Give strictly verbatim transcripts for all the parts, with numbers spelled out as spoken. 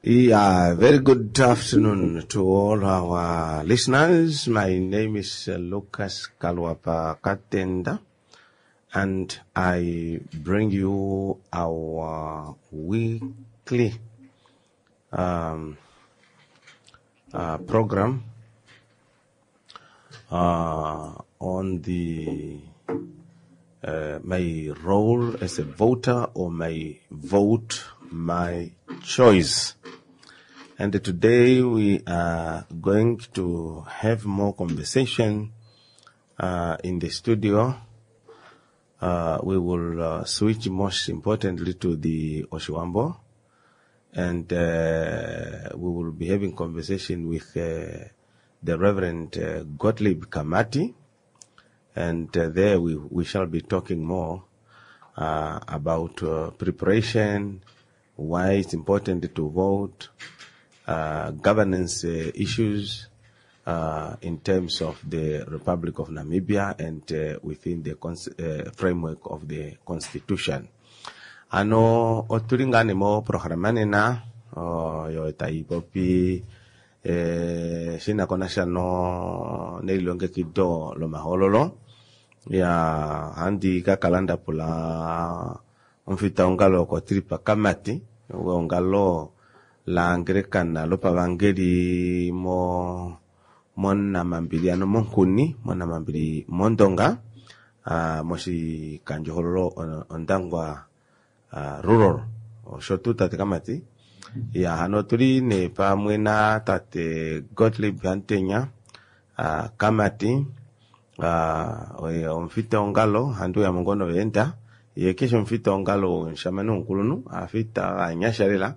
Yeah, very good afternoon to all our listeners. My name is uh, Lucas Kaluapa Katenda, and I bring you our weekly um, uh, program uh, on the uh, my role as a voter or my vote, my choice. And today we are going to have more conversation uh, in the studio. Uh, we will uh, switch most importantly to the Oshiwambo, and uh, we will be having conversation with uh, the Reverend uh, Gottlieb Kamati, and uh, there we, we shall be talking more uh, about uh, preparation, why it's important to vote, uh, governance uh, issues uh, in terms of the Republic of Namibia and uh, within the cons- uh, framework of the Constitution. Ano otuli ngaa nee moprograma nena oyo tai popi eh, shina ko nasha no nelilongekido lomahoololo. Ya handi ka kala ndapula omufitaongalo Gottlieb Kamati weongalo la Anglikana lopavangeli mo monamambili ano monghuni monamambili mondonga uh, moshikandjohololo Ondangwa uh, rural osho tuu tate Kamati. Ya hano otuli nee pamwe na tate Gottlieb Hamutenya uh, Kamati uh, oye omufitaongalo handi uyamo ngoo noveenda ye keshe omufitaongalo omushamane womukulunhu afita vanyasha lela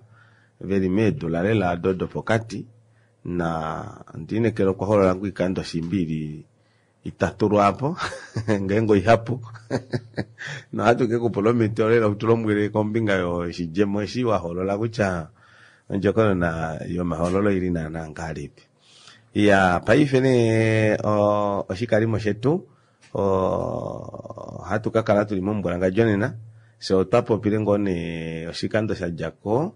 veli meedula lela do dopokati na ndiinekela okwa holola ngoo oikando shimbi ili itatu lwaapo ngeenge oihapu nohatu kekupula omhito lela utulombwele kombinga yoshidjemo eshi waholola kutya ondjokonona yomahololo ili naana ngahelipi. Ya paife nee oshikalimo shetu ohatu kakala tuli momumbwalangandjo nena fye otwa popile ngoo nee oshikando shadjako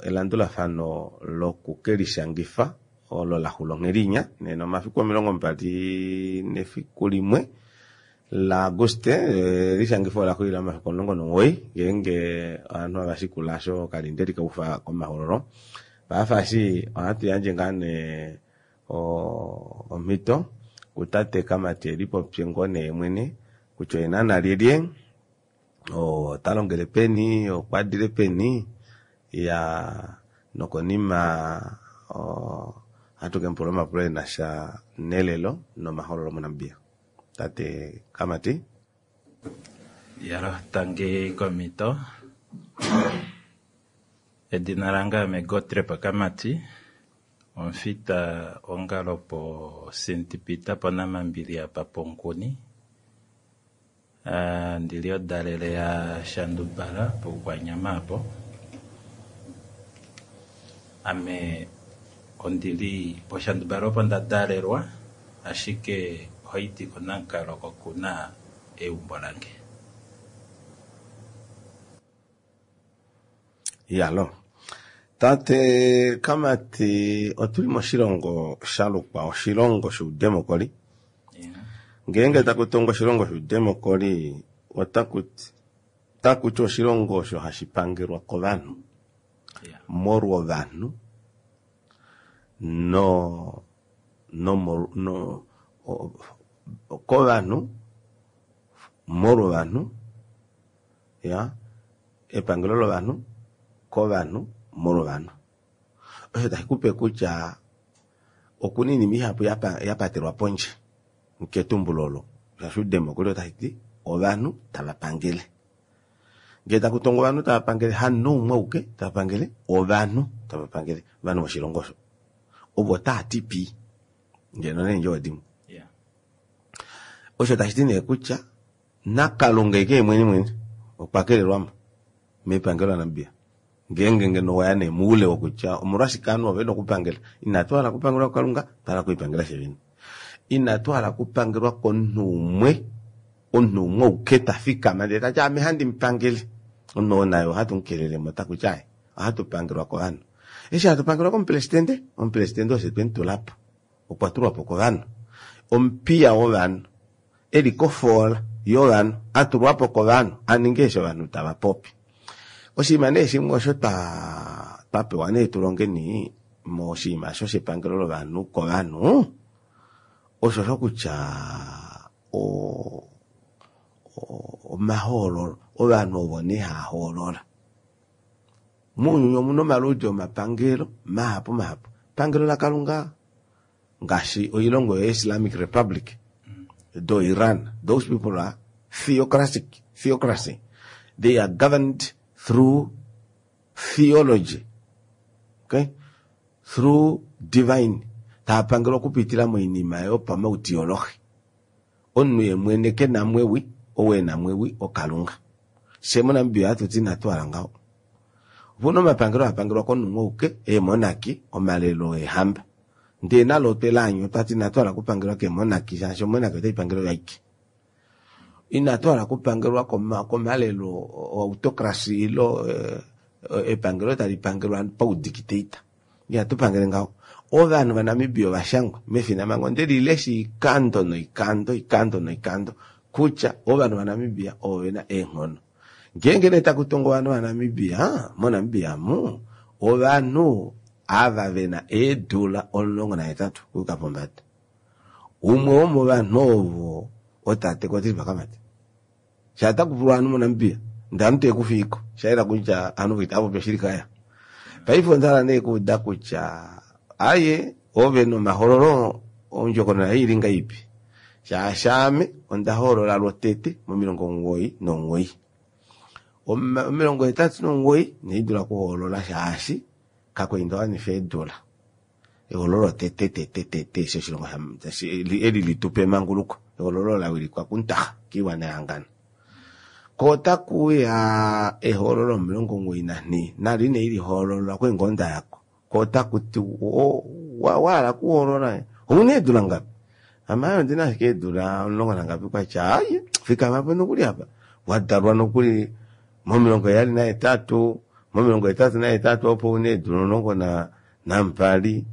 elandulafano loku kelishangifa olo laxula onghelinya nena omafiku omilongo mbali nefiku limwe la Aguste elishangifo ola xulila momafiku omulongo nomuwoi ngeenge ovanhu havashikula osho okalindeli kaufa komahoololo. Paife ohatu yandje ngaa nee omhito kutate Kamati elipopye ngoo nee mwene kutya oye naana lyelye, ota longele peni, okwadile peni, ya nokonima ohatu kemupula omapulo enasha nelelo nomahoololo moNamibia. Tate Kamati. Yalo, tangi komito. Edina lange ame Gottlieb Kamati, omufita ongalo po Saint Peter ponamambili apa ponkuni. Uh, ndili odalele ya Shandubala poukwanyama apo. Ame ondili poshandubala opo nda dalelwa, ashike ohaidi koNankalo oko kuna eumbo lange. Yalo. Tate Kamati, otuli moshilongo shalukwa oshilongo shoudemokoli. Yeah. Ngeenge taku tongwa oshilongo shoudemokoli, otaku ti oshilongo osho hashi pangelwa kovanhu. Yeah. Molwa ovanhu no no no kovanhu molwa ovanhu, ya epangelo lovanhu kovanhu molwa ovanhu. Osho tashi kupe kutya okuna oinima ihapu yapatelwa pondje ketumbulo olo shaashi oudemokoli otashi ti ovanhu tava pangele. Ngee taku tongwa ovanhu tava pangele hamunhu umwe auke tava pangele, ovanhu tava pangele ovanhu voshilongo osho ovo taa ti pii ngeno neendjovo dimwe. Yeah. Osho tashi ti nee kutya naKalunga eke mwene mwene okwa kelelwamo mepangelo laNamibia. Ngeenge ngeno waya nee moule wokutya omolwashike ovanhu ovo vena okupangela, inatu hala okupangelwa kuKalunga, otwa hala okulipangela fye vene. Inatu hala okupangelwa komunhu umwe, omunhu umwe auke ta fikama ndele tati ame handi mupangele. Omunhu oo naye ohatu mukelelemo takuti ai, ohatu pangelwa kovanhu. Eshi hatu pangelwa komupresidente, omupresidente oshe twemutula po. Okwa tulwa po kovanhu. Omupiya wovanhu, eli kofoola yovanhu, a tulwa po kovanhu, a ninge eshi ovanhu tava popi. Oshinima nee shimwe osho twa twapewa nee tulongeni moshinima osho shepangelo lovanhu kovanhu, osho sho kutya omahoololo, ovanhu ovo nee hava hoolola. Mounyuni omuna omaludi omapangelo mahapu mahapu. Epangelo laKalunga ngaashi oilongo yo-Islamic Republic do Iran, those people are theocratic, theocracy. They are governed through theology, okay? Through divine. Tava pangelwa okupitila moinima yopamautiolohi. Omunhu ye mwene ke na mwewi, ou e na mwewi oKalunga. Fye moNamibia ohatu ti inatu hala ngaho. Opuna omapangelo haa pangelwa komunhu auke, eemonarchy, omalelo eehamba. Ndee nalo otwe laanya otwati inatu hala okupangelwa keemonarchy shaashi omonarchy otai pangele oyo aike. Inatu hala okupangelwa komalelo autocracy ile epangelo tali pangelwa paudictator. Ihatu pangele ngaho. Ovanhu vaNamibia ovashangwa mefinamhango onde lilesha oikando noikando, oikando noikando kutya ovanhu vaNamibia ovo vena eenghono. Ngeenge nee taku tongwa ovanhu vaNamibia, moNamibia amu ovanhu ava vena eedula omulongo nahetatu okuyuka pombada. Umwe womovanhu ovo otate Kotiba Kamati. Sha taku pulwa ovanhu moNamibia, ndee ovanhu teekufiiko, shayela kutya ovanhu itava popi oshili kaya. Paife onda hala nee kuuda kutya aye ove nomahoololo ondjokonona ili ngahelipi? Shaashi ame onda hoolola lwotete momilongo omugoyi nomugoyi. Omilongo hetatu nomugoyi inai dula okuhoolola shaashi kakwali nda wanifa eedula. Ehoololo lotete tete tete eshi oshilongo eli litupa emanguluko. Ehoololo la wilikwa kuNtaha kiiwana yahangana. Ko otakuuya ehoololo omilongo omugoyi nanhee nalo inai lihoolola okwali ngoo ndayako. Ko otakuti wahala okuhoolola ouna eedula ngapi? Ame aaye ondina ashike eedula omulongo nangapi kwatya aaye fikama po nokuli apa wadalwa nokuli momilongo heyali nahetatu, momilongo hetatu nahetatu opo una eedula omulongo nambali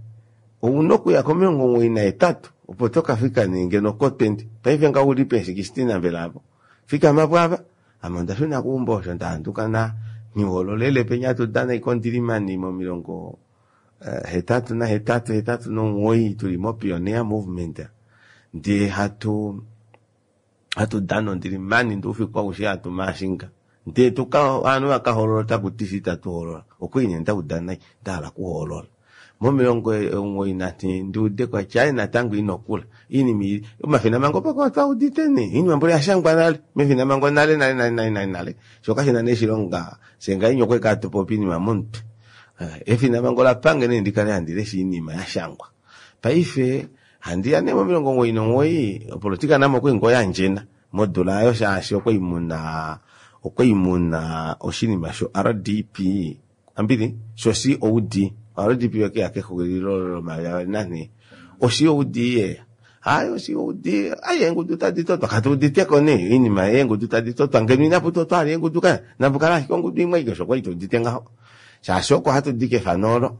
ouna okuya komilongo omugoyi nahetatu opo tokafika nee ngeno ko twenty. Paife ngaho ouli pe sixteen mbela apo fikama po apa. Ame onda shuna keumbo osho ndahanduka na nghihoololele penya hatu dana oikondilimani momilongo hetatu nahetatu hetatu nomugoyi tuli mo pioneer movement ndee hatu hatu dana ondilimani ndee oufiku aushe hatu maashinga ndee tuka ovanhu vakahoolola otakuti fye itatu hoolola okwali nee ndauda nai ndahala okuhoolola. Momilongo omugoyi nanhee ndiude kwatya aaye natango inokula oinima omafinamhango paka otwaudite nee oinima mboli oyashangwa nale mefinamhango nale nale nale nale nale shoo kashina nee oshilonga fyee ngahenya okwali hatupopi oinima momutwe. Efinamhango olapange nee ndikale handi lesha oinima yashangwa. Paife handiya nee momilongo omugoyi nomugoyi opolitika namo okwali ngoo yandjena modula aayo shaashi okwali muna okwali muna oshinima sho R D P ambili sho C O D. R D P okeya kexulilo lomayovi avali nanhee. O C O D yeya. Hayi o C O D ayi eengudu tadi totwa katuuditeko nee oinima yeengudu tadi totwa ngeno inapu totwa vali eengudu kaya napukale ashike ongudu imwe aike osho kwali tuudite ngaho. Shaashi oko hatu di kefano olo.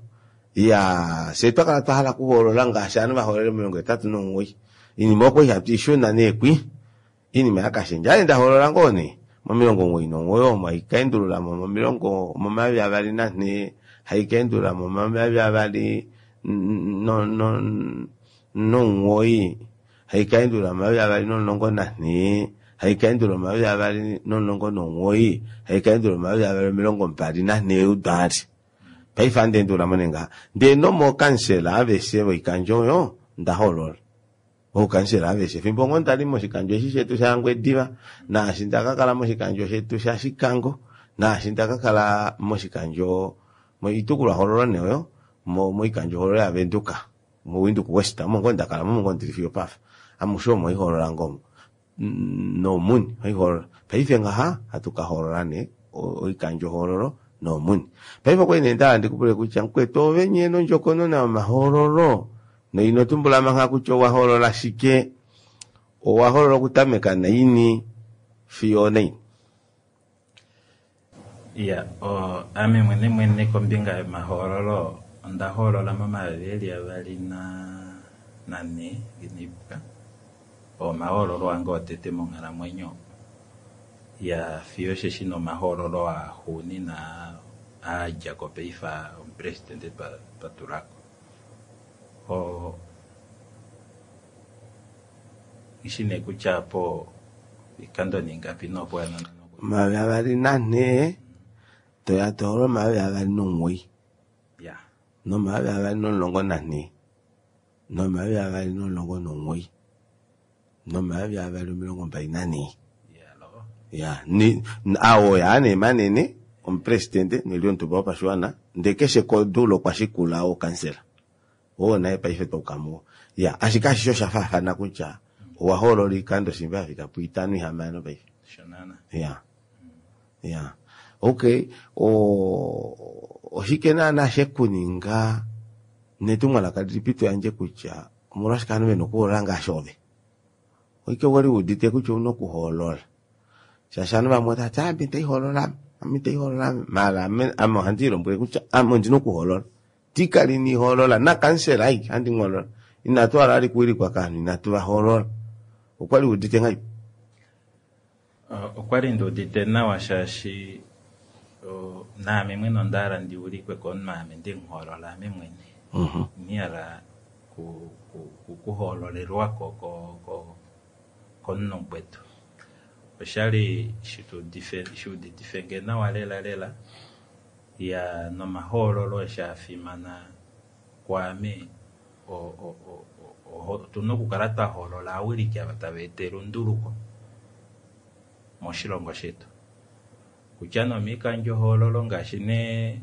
Iyaa fyee twakala twahala okuhoolola ngaashi ovanhu vahoolole momilongo hetatu nomugoyi. Oinima okwali hatu ishuna nee kwi oinima yakashendja. Aaye ndahoolola ngoo nee momilongo omugoyi nomugoyi omo haikaendululamo momilongo momayovi avali nanhee haikaendululamo momayovi avali nomugoyi haikaendulula momayovi avali nomulongo nanhee haikaendulula momayovi avali nomulongo nomugoyi haikaendulula momayovi avali omilongo mbali nanhee udwaali. Paife ohandi endululamo nee ngaha. Ndee nomookansela aveshe voikandjo oyo ndahoolola. Oukansela aveshe fimbo ngoo ndali moshikandjo eshi shetu shaNgwediva naashi ndakakala moshikandjo shetu shaShikango naashi ndakakala moshikandjo moitukulwahoololo nee oyo moikandjohoololo yaVenduka moWindhoek West omo ngoo ndakala omo ngoo ndili fiyo opafa. Amushe omo haihoolola ngoo noomuni haihoolola. Paife ngaha hatu kahoolola nee oikandjohoololo noomuni. Paife okwali nee ndahala ndikupule kutya mukwetu ove nyee nondjokonona yomahoololo noino tumbula mangha kutya owahoolola shike, owahoolola okutameka naini fiyo onaini? Ya, o, ame mwene mwene kombinga yomahoololo onda hoolola momayovi eli avali na nane nginiipuka omahoololo ange otete monghalamwenyo ya fiyo osheshi nomahoololo axuuninwa aadjako paife omupresidente twatulako. O nghishi nee kutya apo oikando ningapi nopo Omayovi avali nanhee toya tohoolola omayovi avali nomuwoi ya nomayovi avali nomulongo nanhee nomayovi avali nomulongo nomuwoi nomayovi avali omilongo mbali nanhee yalo ya ni awo yaa nee manene omupresidente neli omutumba wopashiwana ndee keshe kodula okwa shikula ookansela oo naye paife twauka muwo ya ashike ashishe osha faafana kutya owa hoolola oikando shimba yafika puitano ihamano paife shonana ya ya okay o oshike naana shekuninga netumwalaka lilipi toyandje kutya omolwashike ovanhu vena okuhoolola ngaashi ove oike wali wuudite kutya ouna okuhoolola shaashi ovanhu vamwe otavati ame itaihoolola ame ame itaihoolola ame maala ame ame ohandi lilombwele kutya ame ondina okuhoolola tikali nihoolola nakansela aike handi muhoolola inatu hala vali kuwilikwa kovanhu inatu vahoolola okwali wuudite ngahelipi? Okwali ndiudite nawa shaashi naame mwene onda hala ndi ulikwe komunhu ame ndemuhoolola ame mwene. Inihala kuhoololelwako komunhu mukwetu. Oshali shuuditifenge nawa lela lela ya nomahoololo eshi afimana kwaame otuna okukala twahoolola ovawiliki ava tava eta elunduluko moshilongo shetu. Kutya nee omoikandjohoololo ngaashi nee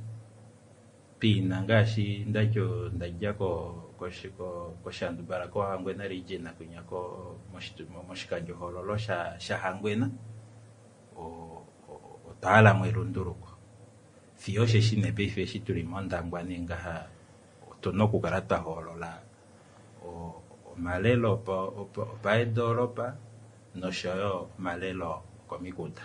piina ngaashi ndati ondadja koshandubala koHangwena region kwinya moshikandjohoololo shaHangwena otwa halamo elunduluko. Fiyo osheshi nee paife eshi tuli mOndangwa nee ngaha otuna okukala twahoolola omalelo opaedoolopa noshoyo omalelo okomikunda.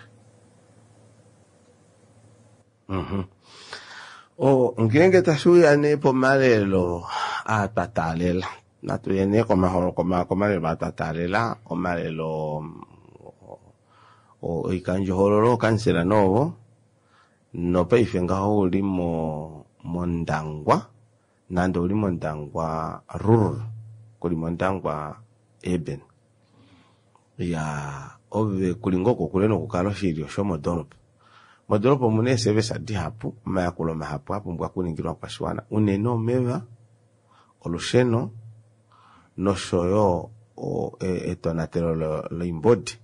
O ngeenge tashiuya nee pomalelo aa twa taalela natuye nee komalelo aa twa taalela omalelo oikandjohoololo ookansela noovo nopaife ngaho ouli mOndangwa nande ouli mOndangwa rural kuli mOndangwa urban ya ove kuli ngoo kokule nokukala oshilyo shomodoolopa. Modoolopa omuna eeservice dihapu omayakulo mahapu apumbwa okuningilwa ovakwashiwana unene omeva, olusheno noshoyo etonatelo loimbodi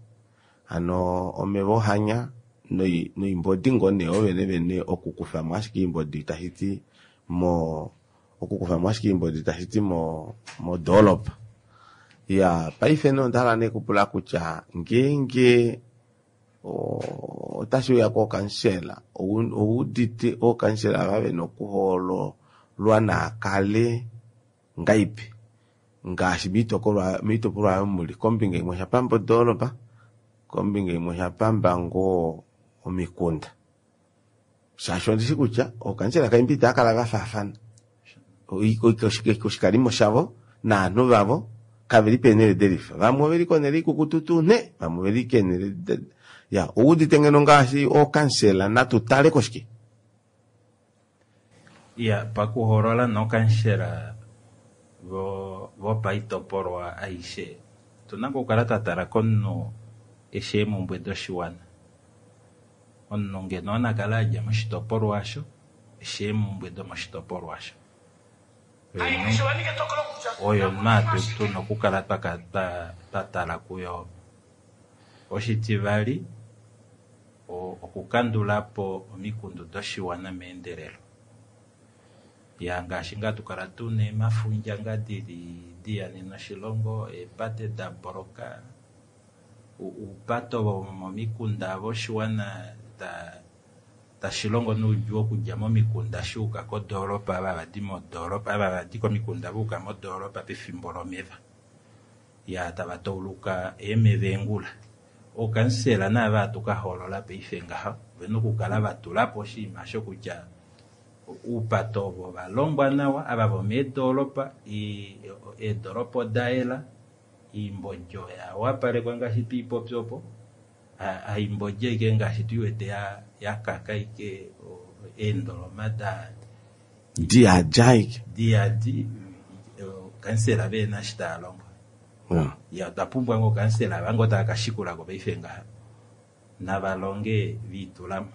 hano omeva ohanya noimbodi ngoo nee ovene vene okukufamo ashike oimbodi tashiti mo okukufamo ashike oimbodi tashiti mo modoolopa. Ya paife nee ondahala nee kupula kutya ngeenge otashiuya kookansela owuudite ookansela ava vena okuhoololwa naakale ngahelipi ngaashi moitopolwa oyo muli kombinga imwe oshapamba odoolopa kombinga imwe oshapamba ngoo omikunda shaashi ondishi kutya ookansela kaimbi itaakala vafaafana oshikalimo shavo novanhu vavo kaveli peenhele delifa vamwe oveli konhele ikukutu nhe vamwe oveli keenhele ya owuudite ngeno ngaashi ookansela natu tale koshike? Ya pakuhoolola nookansela vopaitopolwa aishe otuna okukala twatala komunhu eshi eemumbwe doshiwana. Omunhu ngeno onakale adja moshitopolwa osho eshi eemumbwe domoshitopolwa osho. Oyo omunhu tuna okukala twatala kuyo. Oshitivali okukandulapo omikundu doshiwana meendelelo. Ya ngaashi ngaa hatukala tuna eemafundja ngaa dili dihanena oshilongo, eepate daboloka, oupato vomomikunda voshiwana tashilongo noudjuu okudja momikunda shuuka kodoolopa ava havadi modoolopa ava havadi komikunda vayuka modoolopa pefimbo lomeva. Ya tava tauluka eemeva eengula. Ookansela naava hatu ka hoolola paife ngaha ovena okukala vatulapo oshinima osho kutya oupate ovo ovalongwa nawa, ava vomeedoropa eedoropa odayela, oimbodi oya wapalekwa ngaashi twiipopi opo, haimbodi ashike ngaashi tuiwete yakaka ashike eendoloma diyadi ashike diyadi ookansela vehena eshi taalongo. Iya otwa pumbwa ngoo ookansela ava ngoo tava kashikulako paife ngaha navalonge viitulamo.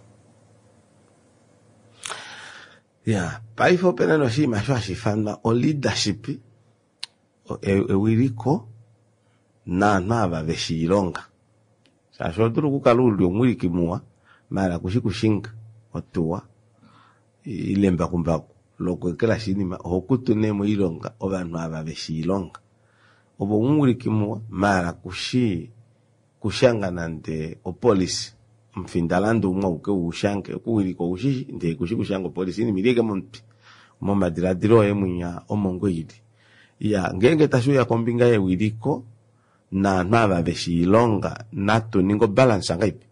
Ya, paife opena nee oshinima osho hashi ifanwa o-leadership, ewiliko naanhu ava veshi oilonga. Shaashi oho dulu okukala uli omuwiliki muwa maala kushi kushinga otuwa ile embakumbaku lokweekelashi oinima, oho kutu nee moilonga ovanhu ava veshi oilonga. Ove omuwiliki muwa maala kushi kushanga nande opolicy, omufindalandu umwe auke uushange, okuwilika oushishi ndee kushi kushanga opolicy, oinima oili ashike momutwe momadilaadilo oye mwinya omo ngoo ili. Iyaa ngeenge tashiuya kombinga yewiliko naanhu ava veshi oilonga natu ninge obalance ngahelipi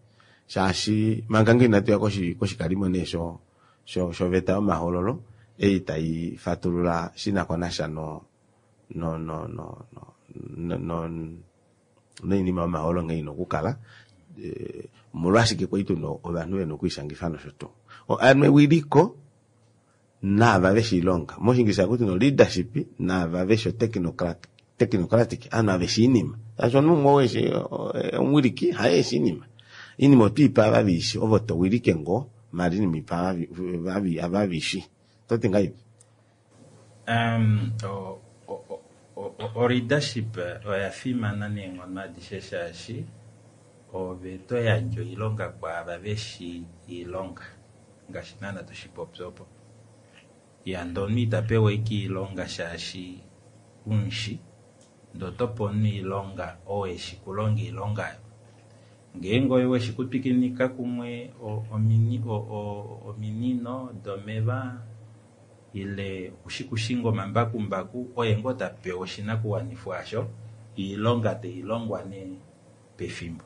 shaashi manga ngoo inatuya koshikalimo nee shoveta yomahoololo ei taifatulula shinakonasha no no no no noinima yomahoololo nghee ina okukala, omolwashike kwali tuna ovanhu vena okwiishangifa nosho tuu. Hano ewiliko naava veshi oilonga, moshingilisha ohakuti nee leadership naava veshi o technocratic ovanhu ava veshi oinima shaashi omunhu umwe oo eshi omuwiliki haye eshi oinima, oinima otwiipe ava veishi ove towilike ngoo maala oinima ipa ava veishi. Ototi ngahelipi? O-leadership oya fimana neenghono adishe shaashi ove toyandje oilonga kwaava veshi oilonga ngaashi naana toshipopi opo. Iya ndee omunhu itapewa ashike oilonga shaashi umushi ndee otope omunhu oilonga oo eshi kulonga oilonga oyo. Ngeenge oye weshi kutwikinika kumwe ominino domeva ile okushi kushinga omambakumbaku oye ngoo tapewa oshinakuwanifwa aasho oilonga tailongwa nee pefimbo.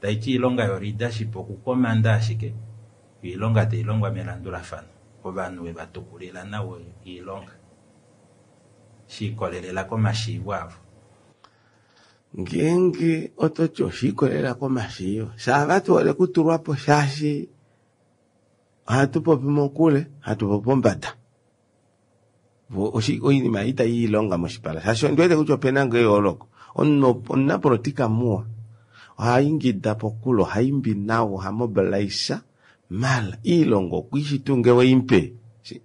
Taiti oilonga yo-leadership okukomanda ashike oilonga tailongwa melandulafano ovanhu wevatukulila nawa oilonga shiikolelela komashiivo avo. Ngeenge ototi oshiikolelela komashiivo, shaava tuhole okutulwapo shaashi ohatu popi mokule hatu popi pombada oinima ei itayi oilonga moshipala shaashi ondiwete kutya opena ngoo eyooloko. Omunhu omunapolitika muwa ohaingida pokule, ohaimbi nawa, oha mobilise maala oilonga okwiishi tuu ngee weimupe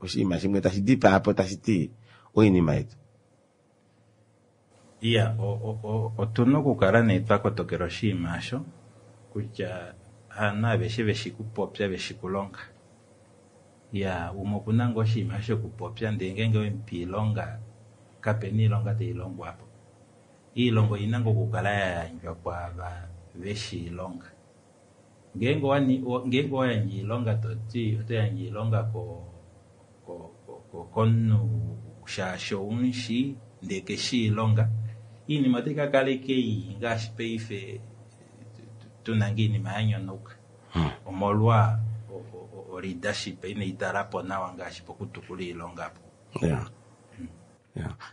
oshinima shimwe tashi dipaapo tashiti oinima yetu. Iya otuna okukala nee twakotokela oshinima osho kutya havanhu aveshe veshi kupopya veshi kulonga. Iya umwe okuna ngoo oshinima shokupopya ndee ngeenge owemupe oilonga kapena oilonga tailongwa aapo. Oilonga oina ngoo okukala yayandjwa kwaava veshi oilonga. Ngeenge owayandje oilonga toti otoyandje oilonga komunhu shaashi oumushi ndee keshi oilonga, oinima otaikakala ashike ii ngaashi paife tuna ngoo oinima yanyonauka omolwa o-leadership inaitalapo nawa ngaashi pokutukula oilonga aapo.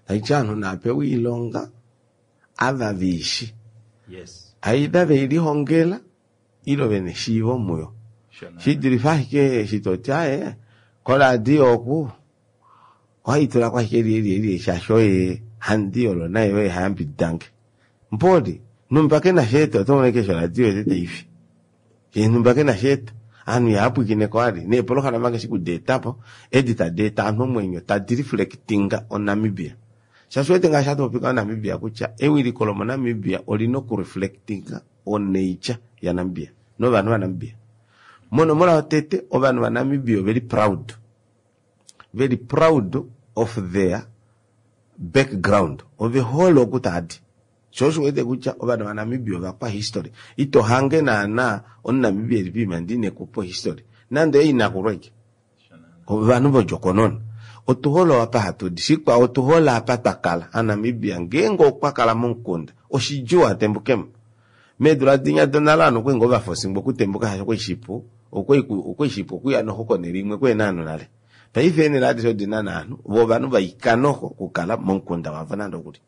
Taiti ovanhu naapewe oilonga ava veishi Yes. either veilihongela ile vena eshiivo muyo, shidulife ashike eshi toti aaye koradio oku ohaitulako ashike eli eli eli shaashi oye handi olo naye oye hayambididange mboli numba kena sheeta otomono ashike eshi oradio yete taifi yee numba kena sheeta ovanhu ihaapwikineko vali neepolohalama ngaashi okudeetapo edi tadi eta ovanhu omwenyo tadi reflectinga oNamibia shaashi owete ngaashi hatu popi Namibia kutya ewiliko lomoNamibia olina okureflectinga onature yaNamibia novanhu vaNamibia. Monomola yotete ovanhu vaNamibia oveli proud, veli proud of their background, ovehole oku taadi shoo osho uwete kutya ovanhu vaNamibia ovakwa history, ito hange naana omuNamibia eli poima ndee inekupa ohistory nande oye inakulu ashike ovanhu vodjokonona. Otuhole apa hatudi, shikwao otuhole apa twakala. Aanamibia ngeenge okwa kala momukunda oshidjuu atembukemo Meedula dinya donale ovanhu okwali ngoo vafosingwa okutembuka shaashi okwali shipu, okwali shipu okuya noxo konele imwe kuhena ovanhu nale. Paife eenele adishe odina naanhu, voo ovanhu vaika noxo okukala momukunda wavo nande okuli.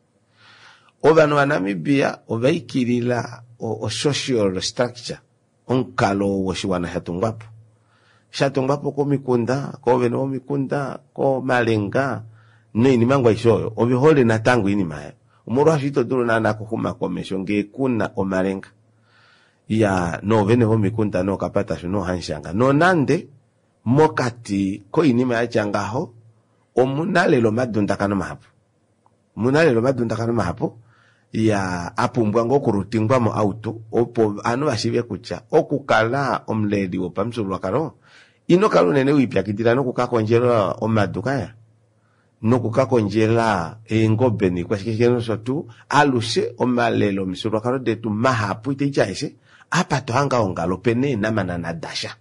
Ovanhu vaNamibia ovaikilila o-social structure, omukalo woshiwana shatungwapo. Shatungwapo komikunda, koovene vomikunda, komalenga, noinima ngoo aishe oyo. Ove hole natango oinima oyo. Omolwaasho ito dulu naana okuxuma komesho ngee kuna omalenga. Ya noovene vomikunda nookapatashu noohamushanga. Nonande mokati koinima yatya ngaho omuna lela omadundakano mahapu. Omuna lela omadundakano mahapu ya apumbwa ngoo okulutingwa mo out opo ovanhu vashiive kutya okukala omuleli wopamufyuululwakalo ino kala unene wiipyakidila nokukakondjela omadu kaya nokukakondjela eengobe niikwashikeshike nosho tuu. Alushe omalelo omifyuululwakalo detu mahapu itaiti aeshe apa tohange aongala opena eenamanana dasha.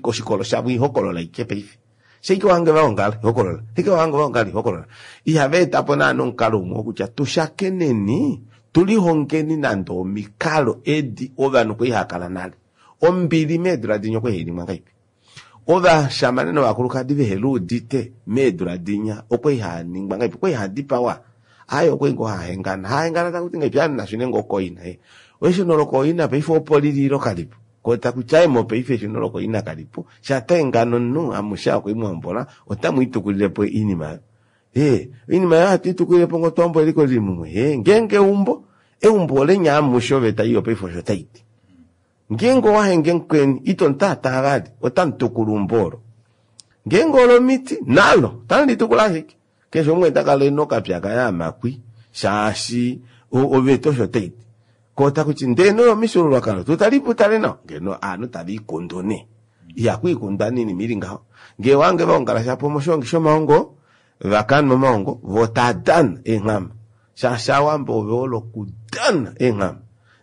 Oshikolo shavo ihokolola ike paife. Shaike wahange vaongala ihokolola, shaike wahange vaongala ihokolola. Ihava etapo naana omukalo umwe wokutya tushakeneni tulihongeni nande omikalo edi ovanhu kwali haakala nale. Ombili meedula dinya okwali hainingwa ngahelipi? Ovashamane novakulukadi veheluudite meedula dinya okwali haaningwa ngahelipi? Okwali haadipawa? Aaye okwali ngoo haahengana. Haahengana takuti ngahelipi? Aaye nashune ngoo koina. Eshuno lokoina paife opo lili ilo kalipo. Ko takuti aaye mopaife eshuno lokoina kalipo. Shatahengana omunhu amushe okwali mwahombola otamu itukulilepo oinima oyo. Ee, oinima oyo ohatu itukulilepo ngoo twahombola eliko lili mumwe. Ee, ngeenge eumbo, eumbo olenya amushe oveta iyo paife osho taiti. Ngeenge owahenge mukweni, ito mutaataa vali, otamu tukula eumbo olo. Ngeenge olomiti, nalo, otamu litukula ashike. Keshe umwe takala ena okapya kaye amakwi, shaashi oveta osho taiti. Ko takuti ndee noyo omifyuululwakalo, tutalipo utale nawa, ngeno ovanhu tava ikundu nee. Ihakwiikundwa nee oinima ili ngaho. Ngee owange vaongala shapo moshihongi shomaongo, vakanwa omaongo, voo taadana eenghama. Shaashi Aawambo ove hole okudana eenghama.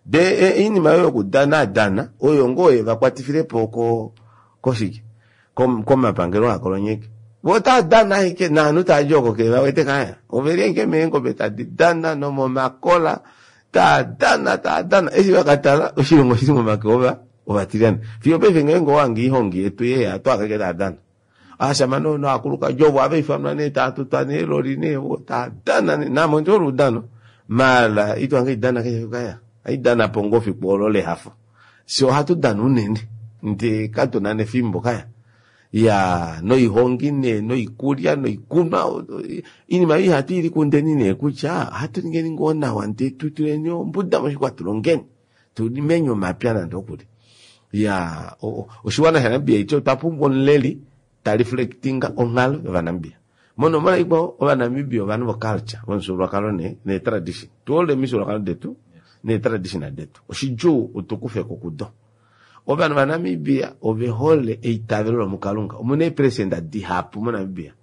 De oinima oyo yokudana dana oyo ngoo yevakwatifilepo ko koshike komapangelo aakolonyeki. Vo otaa dana ashike naanhu taadi oko ke vawete kaya. Oveli ashike meengobe tadi dana nomomakola taa dana taa dana. Eshi vakatala oshilongo oshili momake ova ovatilyane. Fiyo paife ngeenge owange oihongi yetu yeya oto hange ashike taa dana. Ovashamane novakulukadi ovo ohava ifanwa nee taa tutwa neeloli nee vo taa dana nee. Naame ondi hole oudano maala ito hange haidana keshe efiku kaya. Haidanapo ngoo efiku olo lehafo. Fyee ohatu dana unene ndee katuna nefimbo kaya. Iyaa noihongi nee noikulya noikunwa oinima oyo ihatu ilikundeni nee kutya ohatu ningeni ngoo nawa ndee tutuleni ombuda moshixwa tulongeni tulimeni omapya nande okuli. Iyaa oshiwana shaNamibia iti otwa pumbwa omuleli ta reflectinga onghalo yOvanamibia. Monomola ikwao, Ovanamibia ovanhu voculture, vomufyuululwakalo nee neetradition. Tuhole omifyuululwakalo detu neetradition detu. Oshidjuu utukufeko kudo. Ovanhu vaNamibia ove hole eitavelo lomukalunga. Omuna eepresenda dihapu moNamibia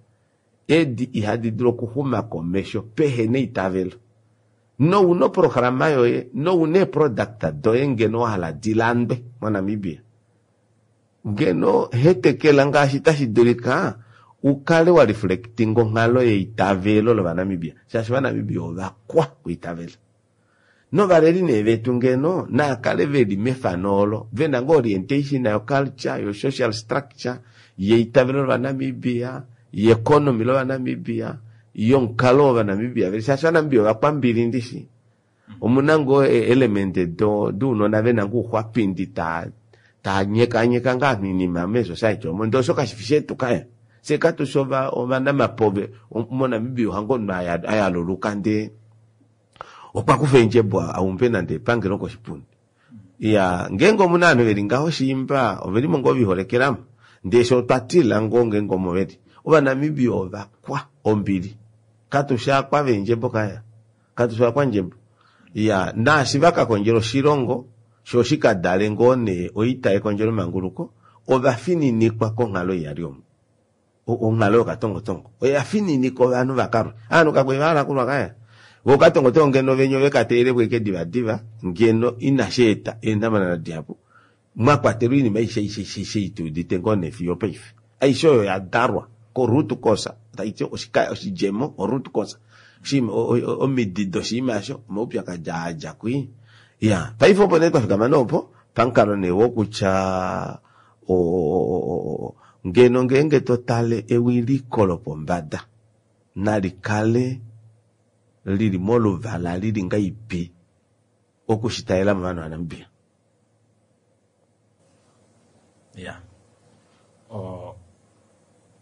edi ihadi dulu okuxuma komesho pehena eitavelo. Nouna oprograma yoye nouna eeproduct doye ngeno wahala dilandwe moNamibia, ngeno hetekela ngaashi tashi dulika ukale wa reflectinga onghalo yeitavelo lOvanamibia, shaashi Ovanamibia ovakwa kuitavela. Novaleli nee vetu ngeno naakale veli mefano olo, vena ngoo orientation yo culture, yo social structure, yeitavelo lOvanamibia, yeconomy lOvanamibia, yomukalo wOvanamibia veli, shaashi Ovanamibia ovakwambili ndishi. Omuna ngoo element do dounona vena ngoo ouxwapindi taa taa nyekanyeka ngoo ovanhu oinima meesociety omo, ndee osho kashifi shetu kaya. Fyee katushi ovanamapove moNamibia ohange omunhu ayaluluka ndee okwa kufa eendjebo aumbe nande epangelo koshipundi. Iyaa, ngeenge omuna ovanhu veli ngaho shiimba ovelimo ngoo viholekelamo, ndee fyee otwa tila ngoo ngeenge omo veli. Ovanamibia ovakwa ombili, katushi akwa veendjebo kaya, katushi ovakwandjebo. Iyaa, naashi vakakondjela oshilongo shoo shikadale ngoo nee oita yekondjelo manguluko, ovafininikwa konghalo iyali omo. Onghalo yokatongotongo oya fininika ovanhu vakalwe. Ovanhu kakwali vahala okulwa kaya. Vo okatongotongo ngeno venya oveka teyelepo ashike divadiva ngeno inashi eta eenhamanana dihapu mwa kwatelwa oinima aishe aishe aishe ei tuudite ngoo nee fiyo opaife. Aishe oyo oya dalwa ko root cause, taiti oshidjemo o root cause, omidi doshinima osho omaupyakadi aa adja kwii. Ya paife opo nee twafikama nee opo pamukalo nee wokutya o ngeno ngeenge totale ewiliko lopombada nalikale lili moluvala lili ngahelipi okushitalela movanhu vaNamibia. Ya o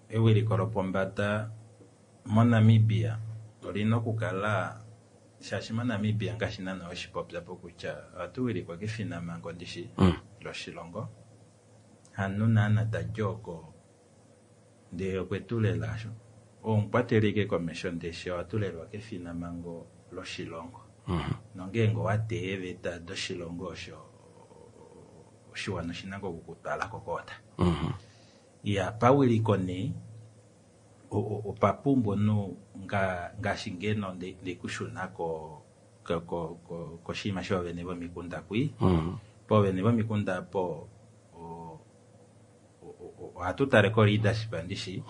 ewiliko lopombada moNamibia olina okukala shaashi moNamibia ngaashi naana weshipopya po kutya ohatu wilikwa kefinamhango ndishi loshilongo hanu naana tadi oko ndee okwetulela osho omukwateli ashike komesho ndeshi owatulelwa kefinamhango loshilongo nongeenge owateya eeveta doshilongo osho oshiwana oshina ngoo okukutwala kokoota. Iya pawiliko nee opa pumbwa omunhu ngaashi ngeno ndikushuna koshinima shoovene vomikunda kwii poovene vomikunda apo ohatu tale ko leadership ndishi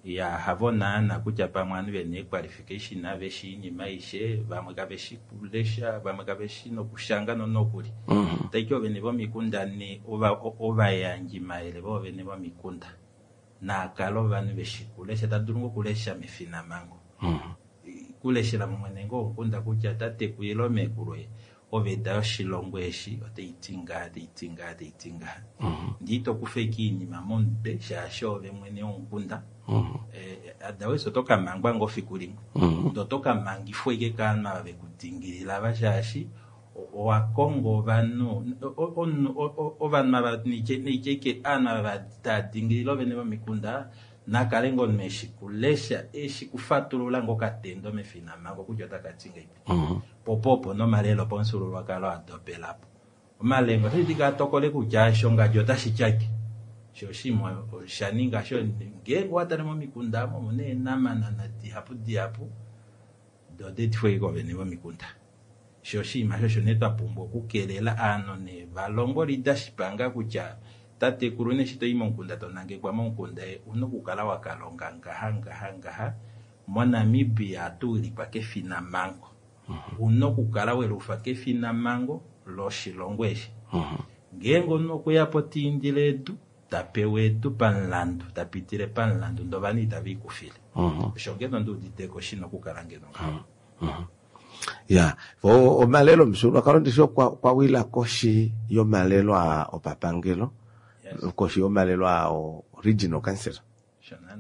ya havo naana kutya pamwe ovanhu vena eequalification veshi oinima aishe vamwe kaveshi kulesha vamwe kaveshi nokushanga nonokuli taiti oovene vomikunda nee ovayandjimayele voovene vomikunda naakale ovanhu veshi kulesha tadulu ngoo okulesha mefinamhango kuleshela mwene ngoo womukunda kutya tateku ile meekulu oveta yoshilongo eshi otaiti ngaha taiti ngaha taiti ngaha ndee ito kufa ashike oinima momutwe shaashi oove mwene womukunda otherwise oto kamangwa ngoo fiku limwe ndee oto kamangifwa ashike kovanhu ava vekudingilila ava shaashi owakonga ovanhu ovanhu ava naitye ashike ovanhu ava tava ovene vomikunda nakale ngoo omunhu eshi kulesha eshi kufatulula ngoo okatendo mefinamhango kutya otakati ngahelipi po opo opo nomalelo opamufyuululwakalo adopelapo omalenga otashidulika atokole kutya osho ngadi otashi tyake sho oshinima oshaninga ngeenge owatale momikunda omo omuna eenhamanana dihapu dihapu doo odaetifwa ashike kovene vomikunda sho oshinima osho nee twapumbwa okukelela ovanhu nee valongwe leadership nga kutya tatekulu nee eshi toyi momukunda tonangekwa momukunda ouna okukala wakalonga ngaha ngaha ngaha moNamibia ohatu wilikwa kefinamhango ouna okukala welufa kefinamhango loshilongo eshi ngeenge omunhu okweyapo taindile edu tapewa edu pamulandu tapitile pamulandu ndee ovanhu itave ikufile osho ngeno nduuditeko shina okukala ngeno ngaho. Ya omalelo omufyuululwakalo ndishi okwa wila koshi yomalelo aa opapangelo koshi yomalelo aa regional council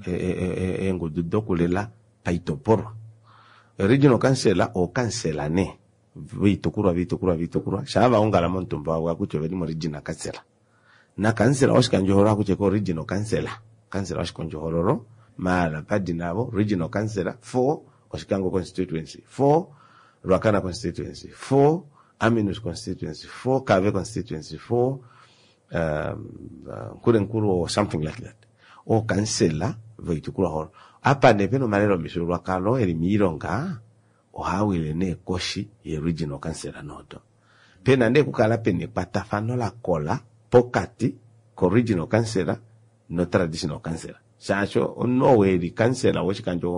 eengudu dokulela paitopolwa. Regional council ookansela nee voitukulwa voitukulwa voitukulwa shaa vaongala momutumba wavo akutya oveli mo regional council nakansela woshikandjohoololo akutya ko regional council kansela woshikandjohoololo maala padina avo regional council for Oshikango constituency for Ruacana constituency for Aminus constituency for Kave constituency for um, uh, Nkurenkuru or something like that ookansela voitukulwahoololo apa nee pena omalelo omifyuululwakalo eli moilonga ohaawile nee koshi ye regional council noodo pena nee okukala pena ekwatafano lakola pokati ko regional council no traditional council shaashi omunhu ou eli kansela woshikandjo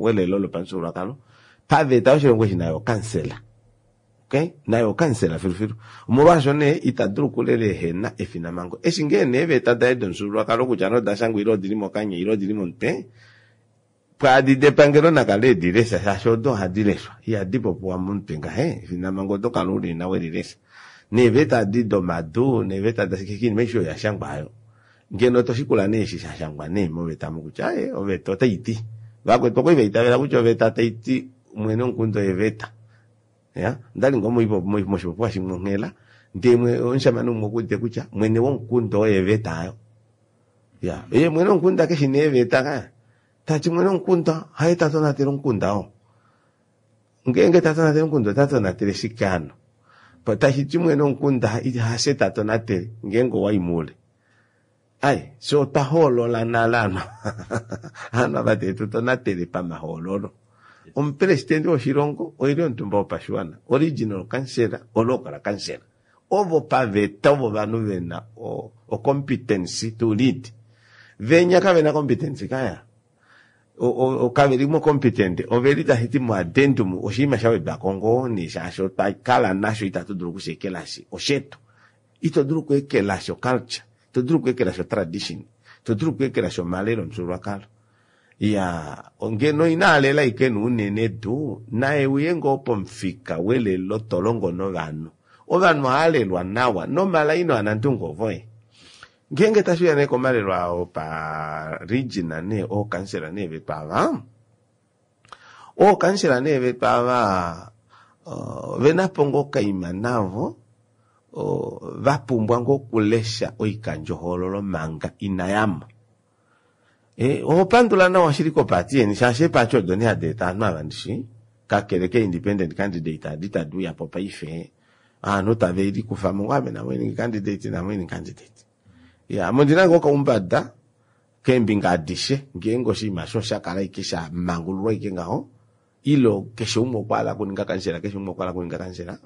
welelo lopamufyuululwakalo paveta yoshilongo eshi naye okansela okay naye okansela filufilu omolwaasho nee ita dulu okulela ehena efinamhango eshi ngee nee eeveta daye domufyuululwakalo kutya nee odashangwa ile odili mokanya ile odili momutwe pwaadi depangelo nakale edilesha shaashi odo ohadi leshwa ihadi popiwa momutwe ngahe efinamhango oto kala ulina welilesha neeveta adi domadu neeveta dashike oinima aishe oyo yashangwa hayo ngeno toshikula nee eshi shashangwa nee moveta omo kutya aaye oveta otaiti vakwetu okwali vaitavela kutya oveta taiti mwene womukunda oye veta ya ondali ngoo moshipopiwa shimwe onghela ndee omushamane umwe okuudite kutya mwene womukunda oye veta aayo ya ye mwene womukunda keshi nee veta ka tati mwene womukunda haye tatonatele omukunda oo ngeenge tatonatele omukunda ota tonatele shike hano tashiti mwene womukunda hafye tatonatele ngeenge owayi moule ai fye otwa hoolola nale ovanhu ovanhu ava tetu tonatele pamahoololo omupresidente woshilongo oili omutumba wopashiwana original councillor olocal councillor ovo paveta ovo ovanhu vena o competence to lead venya kavena competence kaya Kave li mo competent, oveli tashi ti mo addendum, oshinima sha wedwako ngoo nee shaashi otwa kala nasho itatu dulu okushekelashi oshetu. Ito dulu okuekelashi oculture, ito dulu okuekelashi otradition, ito dulu okuekelashi omalelo omufyuululwakalo. Ya ngeno inaalela ashike unene tuu naye uye ngoo pomufika welelo tolongo novanhu. Ovanhu ohaalelwa nawa nomalaino anandungu ovoye. Ngeenge tashiuya nee komalelo ao pa region nee ookansela nee vetu ava, ookansela nee vetu ava ovenapo ngoo okaima navo vapumbwa ngoo okulesha oikandjohoololo manga inayamo. Oho pandula nawa shili kopaati yeni shaashi eepaati odo nee hadi eta ovanhu ava ndishi kakele ke independent candidate adi tadi uyapo paife ovanhu tave likufamo ngoo ame namwining candidate namwining candidate. Ya ame ondina ngoo okaumbada keembinga adishe ngeenge oshinima osho oshakala ashike sha mangululwa ashike ngaho ile keshe umwe okwa hala okuninga kansela, keshe umwe okwa hala okuninga kansela,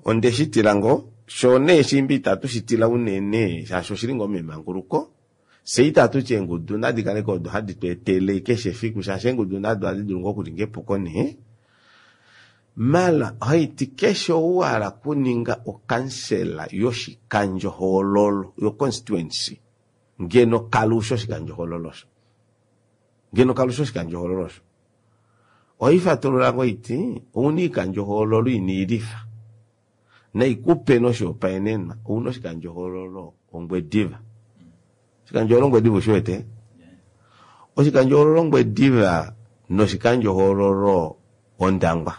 ondeshitila ngoo shoo nee shimbi itatu shitila unene shaashi oshili ngoo memanguluko. Fye itatu ti eengudu nadi kale odo hadi tu etele keshe efiku shaashi eengudu nado ohadi dulu ngoo okuninga epuko nee. Mala ohaiti keshe ou a hala okuninga okansela yoshikandjohoololo yo constituency ngeno kalusha oshikandjohoololo osho, ngeno kalusha oshikandjohoololo osho. Ohaifatulula ngoo iti ouna oikandjohoololo ina ilifa naikupe noshihopaenenwa ouna oshikandjohoololo Ongwediva. Oshikandjohoololo Ongwediva ushiwete? Oshikandjohoololo Ongwediva noshikandjohoololo Ondangwa.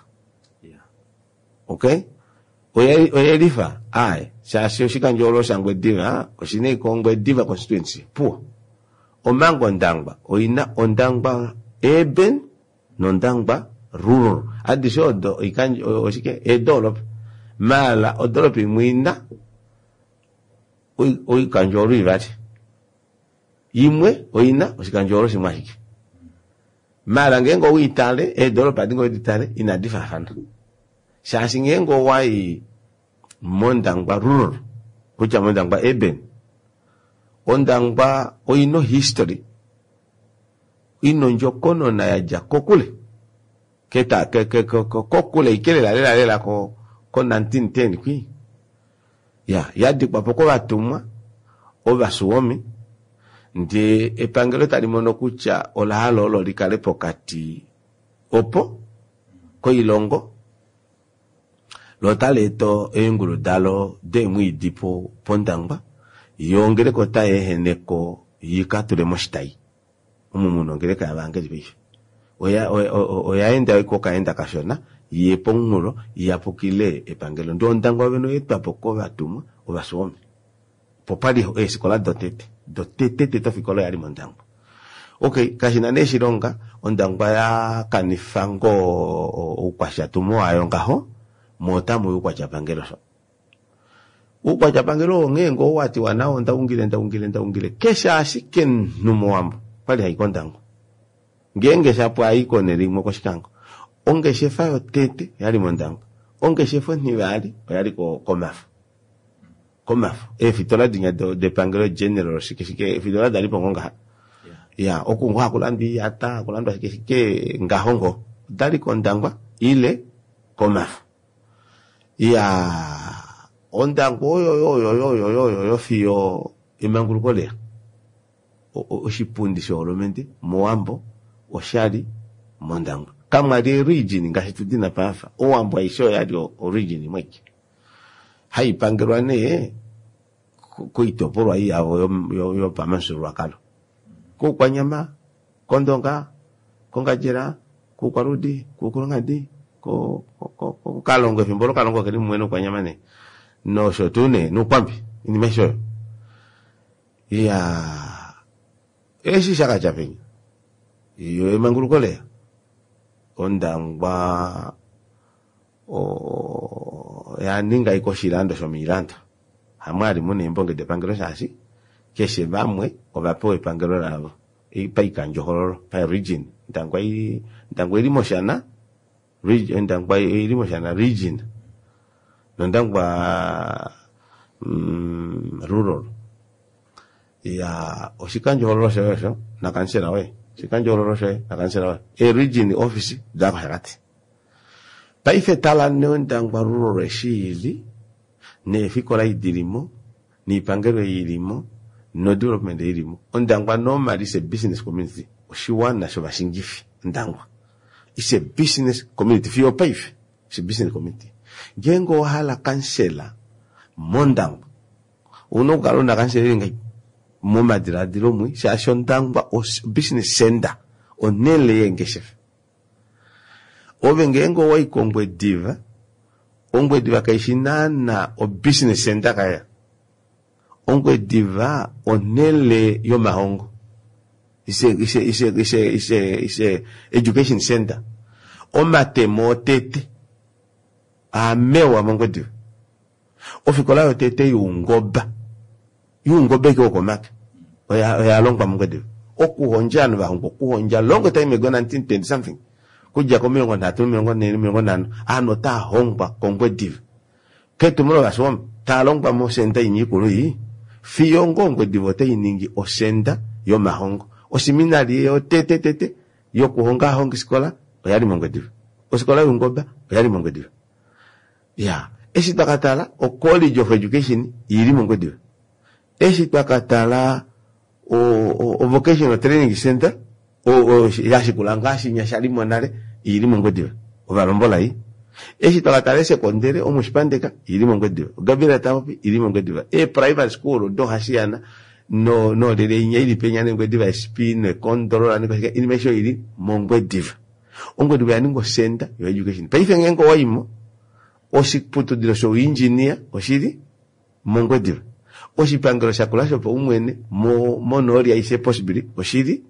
Okay? Oyelifa aye shaashi oshikandjohoololo shaNgwediva oshina ashike Ongwediva constituency puwo. Omanga Ondangwa oina Ondangwa urban nOndangwa rural. Adishe odo oikandjo oshike eedoropa. Maala odoropa imwe ina oikandjohoololo ivali, imwe oina oshikandjohoololo shimwe ashike. Maala ngeenge owiitale eedoropa adi ngoo weditale inadi faafana shaashi ngeenge owai mOndangwa rural kutya mOndangwa urban, Ondangwa oina history ina ondjokonona yadja kokule keta kokule ike lela lela lela ko ko nineteen ten kwi ya yadikwapo kovatumwa ovasuomi ndee epangelo tali mono kutya ola hala olo likale pokati opo koilongo lo otali eta eengulu dalo deemwiidi pOndangwa yoo ongeleka otai eheneko ikatule moshitayi omo muna ongeleka yavangeli paife oya enda okaenda kashona ye pomunghulo iyapukile epangelo ndee Ondangwa vene oyaetwapo kovatumwa ovasuomi opo pali eefikola dotete dotete tete ofikola oyali mOndangwa. Okay, kashina nee shilonga Ondangwa yakanifa ngoo oukwashatumo wayo ngaho mo otamuya oukwatya-pangelo sho. Oukwatya-pangelo onghee ngoo watiwa nao ndaungile ndaungile ndaungile keshe ashike omunhu mOwambo okwali hai kOndangwa ngeenge shapo ai konhele imwe kOshikango. Ongeshefa yotete oyali mOndangwa, ongeshefa onhivali oyali kOmafo. Komafo eefitola dinya depangelo general shike shike eefitola dalipo ngoo ngaha ya oku ngoo hakulandwa oiyata hakulandwa shike shike ngaho ngoo odali kOndangwa ile kOmafo. Ya Ondangwa oyo oyo oyo oyo oyo fiyo emanguluko leya. Oshipundi shoholomende mOwambo oshali mOndangwa. Kamwali ee-region ngaashi tudina paife. Owambo aishe oyali o-region imwe aike haipangelwa nee koitopolwa ei yavo yopamufyuululwakalo kOukwanyama, kOndonga, kOngandjera, kOukwaludi, kOukulunghadi, koKalongo efimbo olo Kalongo keli mumwe nOukwanyama nee nosho tuu nee nOukwambi oinima aishe oyo. Iyaa eshi shakatya penya yo emanguluko leya Ondangwa oya ninga ashike oshilando shomoilando hamwali muna eembonge depangelo shaashi keshe vamwe ovapewa epangelo lavo paikandjohoololo pa region. Ondangwa Ondangwa oili mOshana Ondangwa oili mOshana region nOndangwa rural. Iyaa oshikandjohoololo shoye osho nakamusela woye. Oshikandjohoololo shoye nakansela woye. Ee-region office oda kOshakati. Paife tala nee Ondangwa Rural eshi ili, neefikola ei dilimo, noipangelo ei ilimo, no development ei ilimo. Ondangwa normally is a business community. Oshiwana shovashingifi, Ondangwa. It's a business community. Fiyo opaife, it's a business community. Ngeenge owa hala kansela mOndangwa, ouna okukala una kansela eli ngahelipi momadilaadilo mwi, shaashi Ondangwa business center, onhele yeengeshefa. Ove ngeenge owai kOngwediva, Ongwediva kaishi naana o business center kaya. Ongwediva onhele yomahongo. It's a, it's a, it's a, it's a, it's a, it's a education center. Omatemo otete aamewa mOngwediva. Ofikola yotete youngoba, youngoba eke wokomake, oya, oya longwa mOngwediva. Okuhondja ovanhu vahongwa okuhondja long time ago nineteen twenty something. Kudja komilongo nhatu, omilongo nhee, omilongo nhano, ovanhu otava hongwa kOngwediva. Ketumo lovashiwambo, tava longwa mosenda inya ikulu ii, fiyo ngoo Ongwediva otai ningi osenda yomahongo. Osiminali yotete tete yokuhonga ovahongifikola oyali mOngwediva. Ofikola youngoba oyali mOngwediva. Ya, eshi twa ka tala o College of Education ili mOngwediva. Eshi twa ka tala o, o, o Vocational Training Center o, o, yashikula ngaashi nya sha li mo nale ili mOngwediva. Ovalombola ei. Eshi twa ka tala esekondele omushipandeka ili mOngwediva. Gabriel Taapopi ili mOngwediva. E primary school do hashiyana no no lele inya ili penya nEngwediva S P nekondolola nekwashika inima aishe ili mOngwediva. Ongwediva ya ninga osenda yo education. Paife ngeenge owaimo oshiputudilo shouengineer oshili mOngwediva. Oshipangelo shakula shopaumwene mo, monooli aishe possibly oshili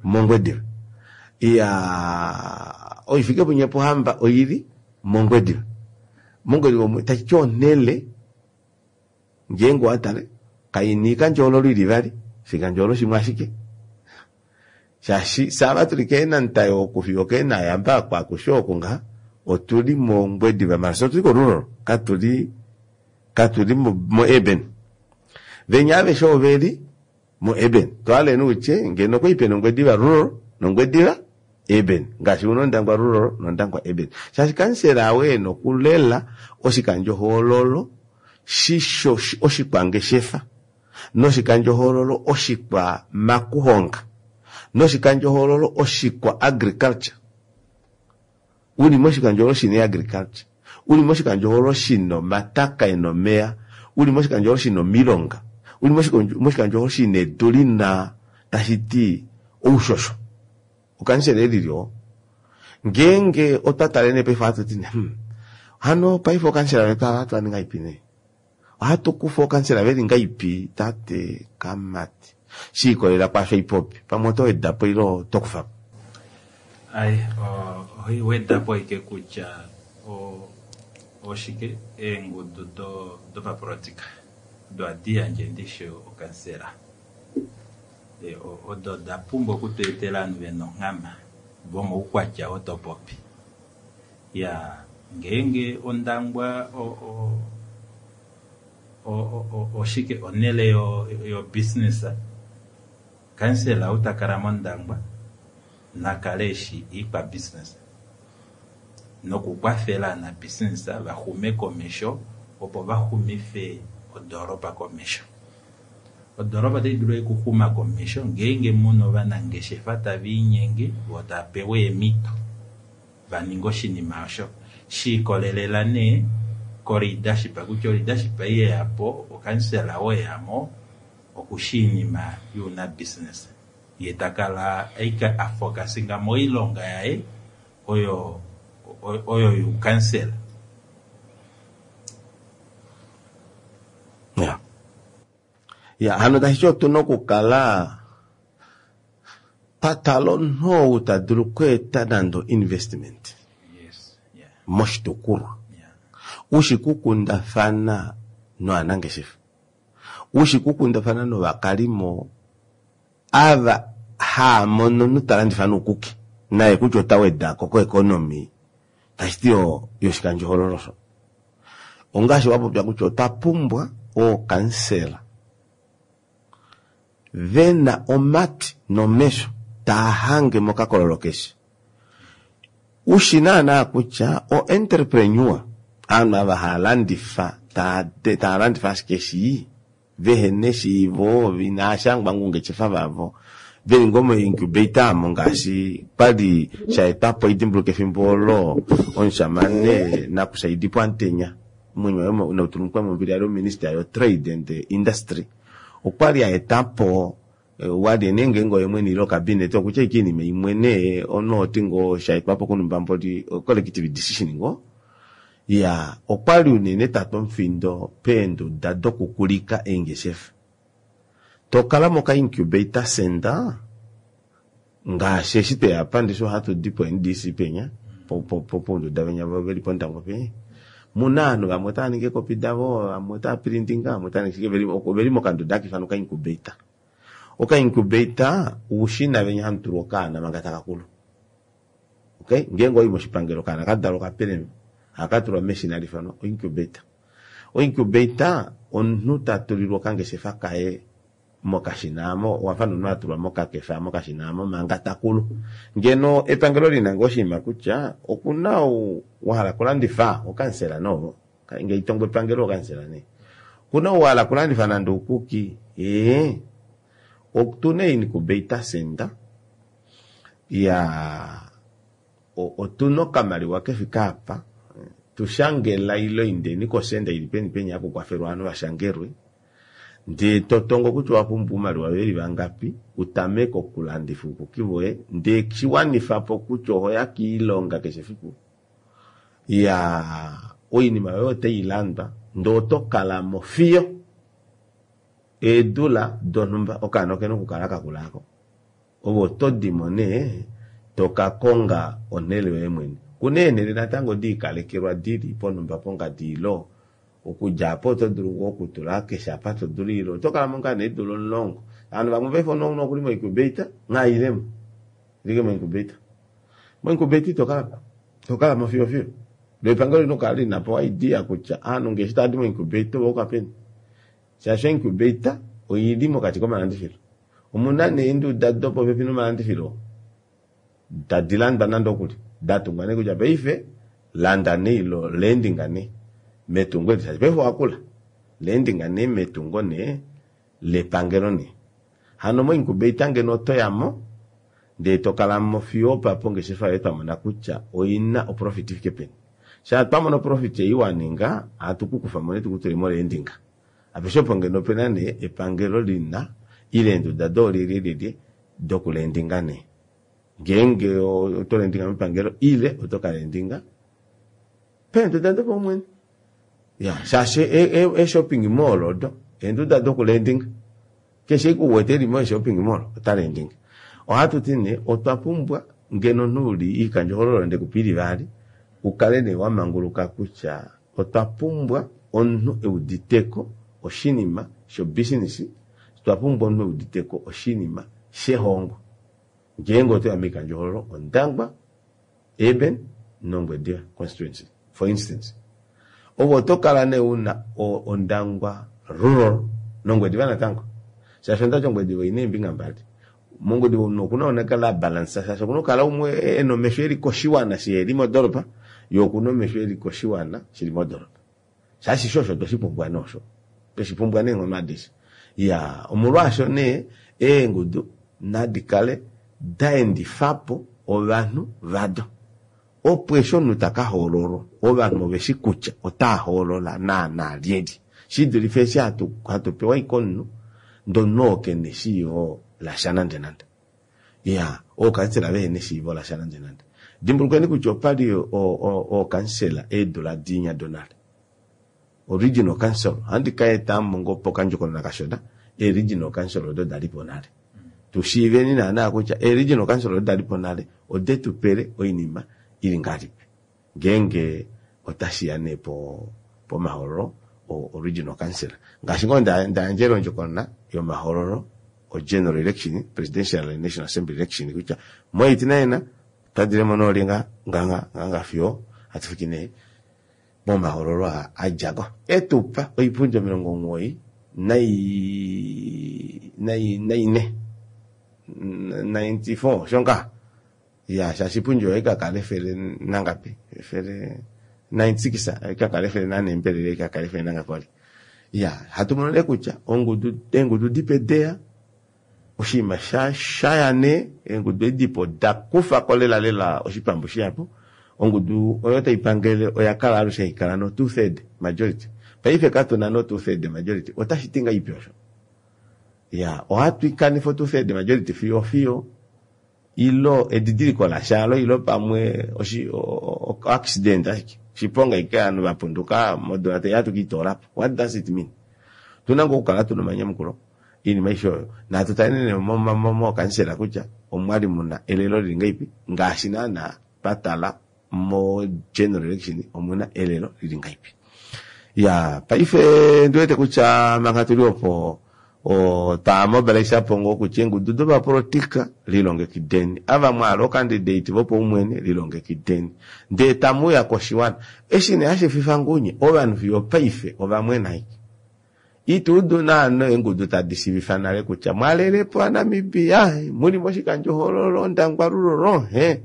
mOngwediva. Ya oifikepunye Pohamba oili mOngwediva. Mongwediva omwe tashi ti onhele ngeenge owatale kaini oikandjohoololo ili vali, oshikandjohoololo shimwe ashike. Shaashi saava tuli keenantayo oku fiyo okeenayamba aku akushe oku ngaha otuli mOngwediva mala otuli ko rural, katuli katuli mo, mo urban. Venya aveshe oveli mo urban. Twaleni utye ngeno okwali pena Ongwediva rural nOngwediva urban, ngaashi una Ondangwa rural nOndangwa urban. Shaashi kansela awe ena okulela oshikandjohoololo shisho oshikwangeshefa noshikandjohoololo oshikwa makuhonga noshikandjohoololo oshikwa agriculture. Uli moshikandjohoololo shina agriculture, uli moshikandjohoololo shina omataka ena omeya, uli moshikandjohoololo shina omilonga, uli moshikandjohoololo shina edu lina tashi ti oushosho. Okansela elili oo. Ngeenge otwa tale nee paife ohatu ti nee, hmm, hano paife okansela vetu ava ohatu va ninga ipi nee? Ohatu kufa okansela veli ngaipi tate Kamati? Shi ikolelela kwaasho ipopi, pamwe oto wedapo ile oto kufa po? Ai, ohoi wedapo ike kutya oshike eengudu do dopapolitika odo hadi yandje ndishi okansela. Odo da pumbwa okutweetela ovanhu vena onghama vomoukwatya oo topopi. Ya ngeenge Ondangwa o o oshike onhele yo yo business, kansela ou takala mOndangwa nakale eshi ikwa business nokukwafela na business vaxume komesho opo vaxumife odoropa komesho. Odoropa otai dulu okuxuma komesho ngeenge muna ovanangeshefa tava inyenge vo tava pewa eemhito vaninge oshinima osho. Shiikolelela nee ko leadership kutya leadership ei yeyapo okansela oo eyamo okushi iinima youna business. Ye takala aike afokasinga moilonga yaye oyo oyo youkansela. Ya. Ya, hano tashi ti otuna okukala patala omunhu ou ta dulu okweeta nande investment. Yes, yeah. Moshitukulwa. Yeah. Ushi kukundafana novanangeshefa. Ushi kukundafana novakalimo ava haamono notalandifa noukuki. Naye kutya ota wedako ko economy tashi ti yoshikandjohoololo osho. Ongaashi wapopya kutya otwa pumbwa ookansela vena omatwi nomesho taa hange mokakololo keshe. Ushi naana kutya o entrepreneur aanhu ava hava landifa taa landifa ashike shii vehena eshiivo inaashangwa moungeshefa vavo veli ngoo mo-incubator amo ngaashi kwali shaetwapo idimbuluka efimbo olo omushamane nakushaidipo Amutenya omwenyo waye nautulumukwe mombili ali ominister yo trade and industry okwali aetapo wali nee ngeenge oye mwene ile ocabinet okutya ashike oinima imwe nee omunhu oti ngoo shaetwapo kunumba mboli collective decision ngoo ya okwali unene tatwa omufindo peenduda dokukulika eengeshefa tokala moka incubator center ngaashi eshi tweya apa ndishi ohatu di po N D C penya pounduda venya veli pOndangwa penya muna ovanhu vamwe otava ningi eekopi davo vamwe otava printinga vamwe otava ningi shike oveli mokanduda haka ifanwa oka-incubator. Oka-incubator oushina venya hamu tulwa okaana manga taka kulu. Okay, ngeenge owayi moshipangelo okaana kadalwa okapelema ohaka tulwa meshina hali ifanwa o-incubator. O-incubator omunhu tatulilwa okangeshefa kaye mokashina amo owafa nomunhu atulwa mokakefa mokashina amo manga takulu. Ngeno epangelo lina ngoo oshinima kutya okuna ou wahala okulandifa okansela nee ngee itongo epangelo okansela nee okuna ou wahala okulandifa nande oukuki ee otuna incubator center ya otuna okamaliwa kefike apa tushangela ile indeni kosenda ili peni penya haku kwafelwa ovanhu vashangelwe ndee totongo kutya owapumbwa oumaliwa veli vangapi utameke okulandifa oukuki voye ndee shiwanifapo kutya ohoya kiilonga keshe efiku ya oinima yoye otailandwa ndee oto kalamo fiyo eedula donhumba okaana okena okukala kakula aako ove oto dimo nee tokakonga onhele yoye mwene. Okuna eenhele natango diikalekelwa dili ponhumba pongadi ilo okudja aapo oto dulu ngoo okutula keshe apa todulu ile oto kalamo ngaa nee eedula omulongo. Ovanhu vamwe paife nokuli mo-incubator nghailemo ilike mo-incubator. Mo-incubator ito kalamo itokalamo fiyo fiyo loo epangelo olina okukala linapo idea kutya ovanhu ngee eshi tavadi mo-incubator ovayuka peni shaashi o-incubator oili mokati komalandifilo. Omuna nee eenduda dopopepi nomalandifilo tadi landwa nande okuli datungwa nee kutya paife landa nee ilo landinga nee metungo eli shaashi paife owakula landinga nee metungo nee lepangelo nee. Hano mo-incubator ngeno otoyamo ndee tokalamo fiyo opapo ongeshefa yoye twamona kutya oina oprofit ifike peni. Shaa twamona oprofit ei waninga ohatu kukufamo nee tukutule molandinga. Apeshe opo ngeno opena nee epangelo lina ile eenduda doolyelye dokulandinga nee ngeenge oto landinga mepangelo ile oto kalandinga peenduda dopaumwene ya shaashi ee-shopping mall odo eenduda dokulandinga keshe ashike ou wete eli mo-shopping mall ota landinga. Ohatuti nee otwa pumbwa ngeno omunhu uli oikandjohoololo ndekupa ili ivali ukale nee wamanguluka kutya otwa pumbwa omunhu euditeko oshinima sho business otwa pumbwa omunhu euditeko oshinima shehongo ngeenge otoya moikandjohoololo Ondangwa, Urban nOngwediva constituency for instance. Ove oto kala nee una Ondangwa rural nOngwediva natango shaashi ondati Ongwediva oina eembinga mbali. MOngwediva omunhu okuna okukala abalansa shaashi okuna okukala umwe ena omesho eli koshiwana shiheli modoolopa yee okuna omesho eli koshiwana shili modoolopa shaashi sho osho tweshipumbwa nee osho tweshipumbwa neenghono adishe. Iyaa omolwaasho nee eengudu nadi kale daendifapo ovanhu vado opo eshi omunhu taka hoololwa ovanhu oveshi kutya otaa hoolola naana lyelye shidulife eshi hatu, hatu pewa ashike omunhu ndee omunhu oo kena eshiivo lasha nande nande. Iya ookansela vehena eshiivo lasha nande nande. Dimbulukweni kutya opali ookansela eedula dinya donale original council ohandi kaetamo ngoo pokandjokonona kashona ee-regional council odo dalipo nale tushiiveni naana kutya ee-regional council odo dalipo nale odetupele oinima ili ngahelipi ngeenge otashiya nee po pomahoololo o-regional council ngaashi ngoo ndayandjele ondjokonona yomahoololo o-general election presidential and national assembly election kutya mo eighty-nine otwadilemo noolye nga nga nga fiyo hatu fiki nee momahoololo aa adjako etupa oipundi omilongo omugoyi nai nai naine ninety four shonga ya shaashi pundi oyo ikakala efele nangapi efele ninety six ikakala efele nanembelele ikakala efele nangapi wali ya hatu mono nee kutya ongudu eengudu dipe deya oshinima sha shaya nee eengudu edipo dakufako lela lela oshipambu shihapu ongudu oyo taipangele oya kala alushe haikala no two third majority paife katuna no two third majority otashi ti ngahelipi osho ya ohatu ikanifa two third majority fiyo fiyo ilo edidiliko lashalo ilo pamwe oshi accident ashike shiponga ike ovanhu vapunduka modula hatu kiitoolapo. What does it mean? Tuna ngoo okukala tuna omanyamukulo oinima aishe oyo natu taleni mookansela kutya omwali muna elelo lili ngahelipi ngaashi naana twatala mo general election omuna elelo lili ngahelipi. Ya paife ndiwete kutya manga tuli opo twamobilisha po ngoo kutya eengudu dopapolitika lilongekideni ava mwahala okandidate vopaumwene lilongekideni ndee tamuuya koshiwana eshi nee hashififa ngunye ovanhu fiyo paife ovamwena ashike ituudu naana eengudu tadi shiivifa nale kutya mwalelepo aNamibia muli moshikandjohoololo Ondangwa Rural he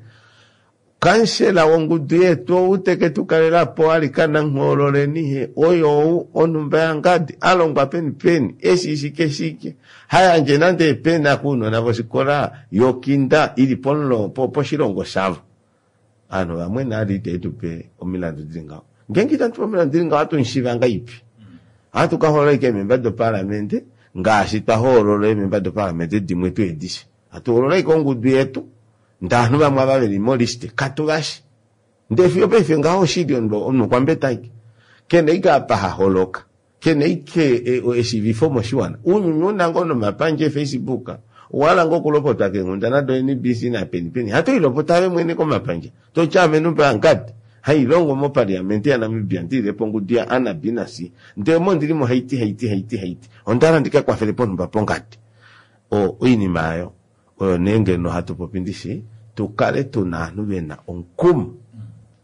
kansela wongudu yetu ou teke tukalelapo alikana nhoololeni he oyo ou onhumba yangadi alongwa peni peni eshi shike shike hayandje nande epena kounona voshikola yokinda ili poshilongo shavo ovanhu vamwe nali itetupe omilandu dili ngaho ngeenge itatupe omilandu dili ngaho ohatu ngahelipi ohatu kahoolola ashike eememba doparlamente ngaashi twahoolola eememba doparlamente dimwe tuu edishe hatu hoolola ashike ongudu yetu ndee ovanhu vamwe ava veli moliste katuvashi ndee fiyo paife ngaho oshili omunhu okwambeta ashike kena ashike apa haholoka kena ashike eshiivifo moshiwana ounyuni una ngoo nomapandja e-Facebook owahala ngoo okulopotwa keenghundana do N B C napeni peni hatoilopota ove mwene komapandja toti ame numba yangadi hailongo moparliamente yaNamibia ndililepo ongudu ya A na B na C ndee omo ndilimo haiti haiti haiti haiti ondahala ndikakwafele ponhumba pongadi o oinima ayo oyo nee ngeno hatu popi ndishi tukale tuna ovanhu vena omukumo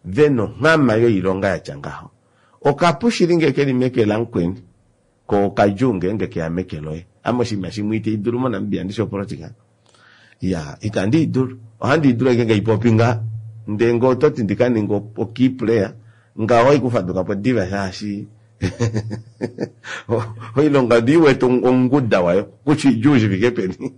vena onghama yoilonga yatya ngaho okapu shili ngee keli meke lamukweni ko okadjuu ngeenge keya meke loye ame oshinima shimwe itaidulu moNamibia ndishi opolitika ya itandi idulu ohandi idulu ashike ngeipopi nga ndee ngee ototi ndikaninge o key player ngaho ohaikufadukapo diva shaashi oilonga ndiiwete onguda wayo kutya idjuu shifike peni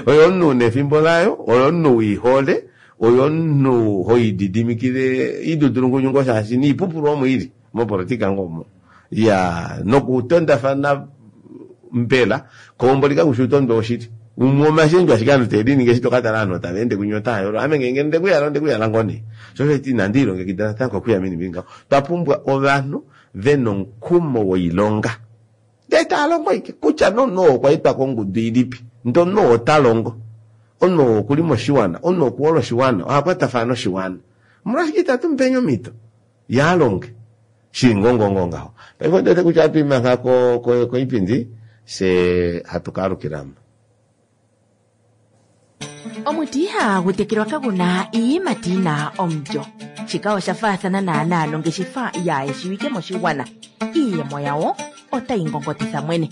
oyo omunhu una efimbo layo oyo omunhu wiihole oyo omunhu hoididimikile idudulungunyu ngoo shaashi niipupulu omo ili mopolitika ngoo omo ya nokutondafana mbela koombo likakushi utondwe woshili umwe omashendjo ashike ovanhu teliningi eshi tokatala ovanhu tava ende kunye otayolo ame ngeenge ndekuyala ondekuyala ngoo nee sho osho eti inandi ilongekida natango okuya meni mbi ngaho twapumbwa ovanhu vena omukumo woilonga ndee taalongo ashike kutya nomunhu oo okwaetwa kongudu ilipi ndee omunhu oo otalongo omunhu oo okuli moshiwana omunhu okuhola oshiwana ohakwatafana noshiwana omolwashike itatu mupeni omhito yaalonge shili ngoo ngoo ngaho paife ondiwete kutya ohatu imangha koipindi fye hatu kaalukilamo. Omuti ihagu tekelwa kaguna iiyimati yina omulyo. Shika osha faathana naanaa nongeshefa yaayeshiwike moshigwana. Iiyemo yawo otayi ngongotitha mwene.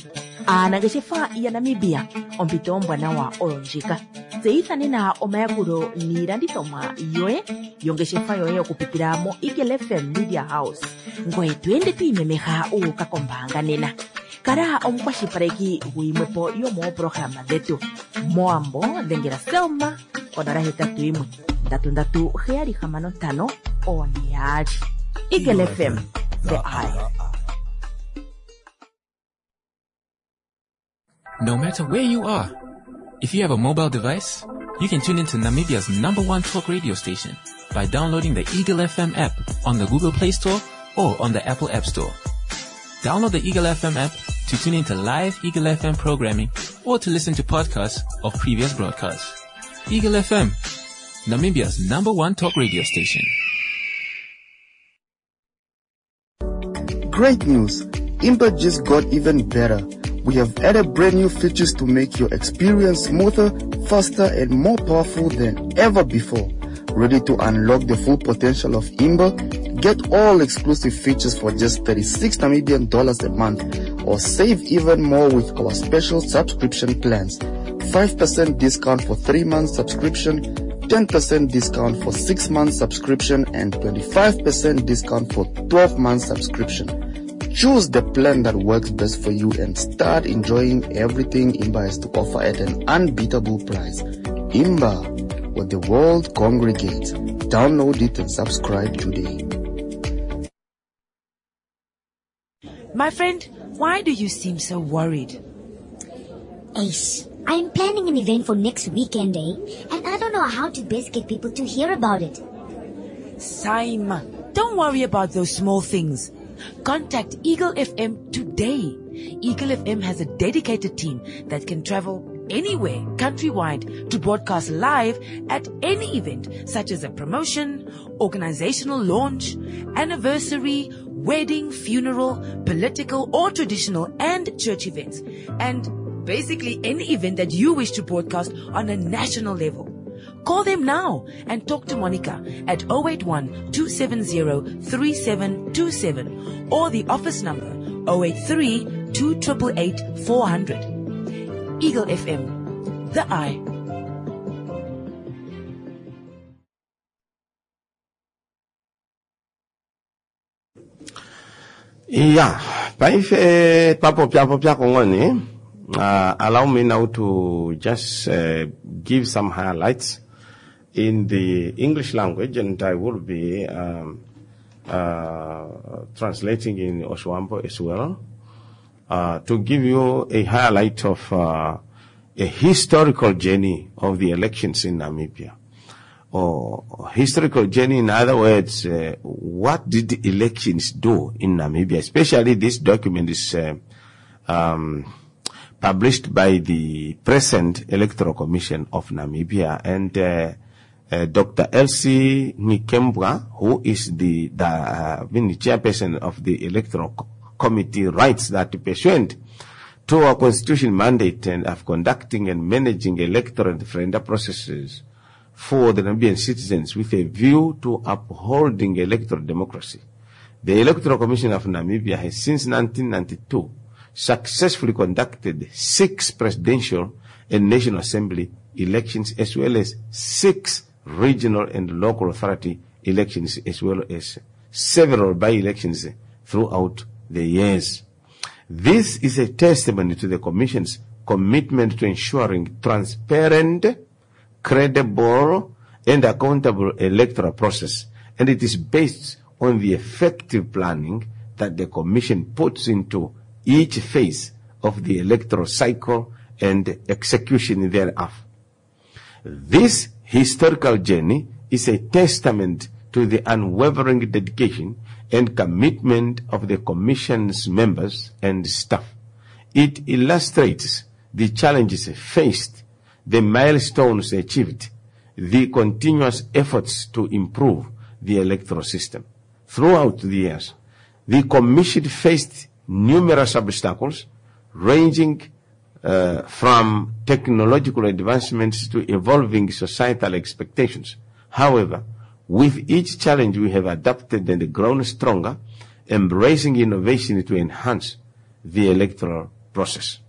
Aanangeshefa yaNamibia ompito ombwanawa oyo ndjika. Tseyitha nena omayakulo niilandithomwa yoye yongeshefa yoye okupitila mo Eagle F M Media House. Ngoye to ende to imemeha u uka kombaanga nena. Kala omukwashilipaleki guyimwepo yomooprograma dhetu. Moambo dhengela Selma konola hetatu yimwe ndatu ndatu heyali hamano ntano one yaali. Eagle F M, the eye. No matter where you are, if you have a mobile device, you can tune into Namibia's number one talk radio station by downloading the Eagle F M app on the Google Play Store or on the Apple App Store. Download the Eagle F M app to tune into live Eagle F M programming or to listen to podcasts of previous broadcasts. Eagle F M, Namibia's number one talk radio station. Great news! Imba just got even better. We have added brand new features to make your experience smoother, faster, and more powerful than ever before. Ready to unlock the full potential of Imba? Get all exclusive features for just thirty-six Namibian dollars a month, or save even more with our special subscription plans. five percent discount for three months subscription, ten percent discount for six months subscription, and twenty-five percent discount for twelve months subscription. Choose the plan that works best for you and start enjoying everything Imba has to offer at an unbeatable price. Imba, where the world congregates. Download it and subscribe today. My friend, why do you seem so worried? Ace, I'm planning an event for next weekend, eh? And I don't know how to best get people to hear about it. Saima, don't worry about those small things. Contact Eagle F M today. Eagle F M has a dedicated team that can travel anywhere countrywide to broadcast live at any event, such as a promotion, organizational launch, anniversary, wedding, funeral, political or traditional and church events, and basically any event that you wish to broadcast on a national level. Call them now and talk to Monica at oh eight one, two seven zero, three seven two seven or the office number oh eight three, two triple eight, four hundred. Eagle F M, the eye. Yeah, paife papo pyapo pyako ngoni. Uh, allow me now to just, uh, give some highlights in the English language, and I will be, um, uh, translating in Oshiwambo as well, uh, to give you a highlight of, uh, a historical journey of the elections in Namibia. Or historical journey, in other words, uh, what did the elections do in Namibia? Especially this document is, uh, um, published by the present Electoral Commission of Namibia, and, uh, uh, Doctor Elsie Nghikembua, who is the, the, uh, the chairperson of the Electoral Co-, Committee, writes that pursuant to our constitution mandate and of conducting and managing electoral and referenda processes for the Namibian citizens with a view to upholding electoral democracy, the Electoral Commission of Namibia has since nineteen ninety-two successfully conducted six presidential and National Assembly elections, as well as six regional and local authority elections, as well as several by-elections throughout the years. This is a testimony to the Commission's commitment to ensuring transparent, credible, and accountable electoral process, and it is based on the effective planning that the Commission puts into each phase of the electoral cycle and execution thereof. This historical journey is a testament to the unwavering dedication and commitment of the Commission's members and staff. It illustrates the challenges faced, the milestones achieved, the continuous efforts to improve the electoral system. Throughout the years, the Commission faced numerous obstacles ranging, uh, from technological advancements to evolving societal expectations. However, with each challenge we have adapted and grown stronger, embracing innovation to enhance the electoral process.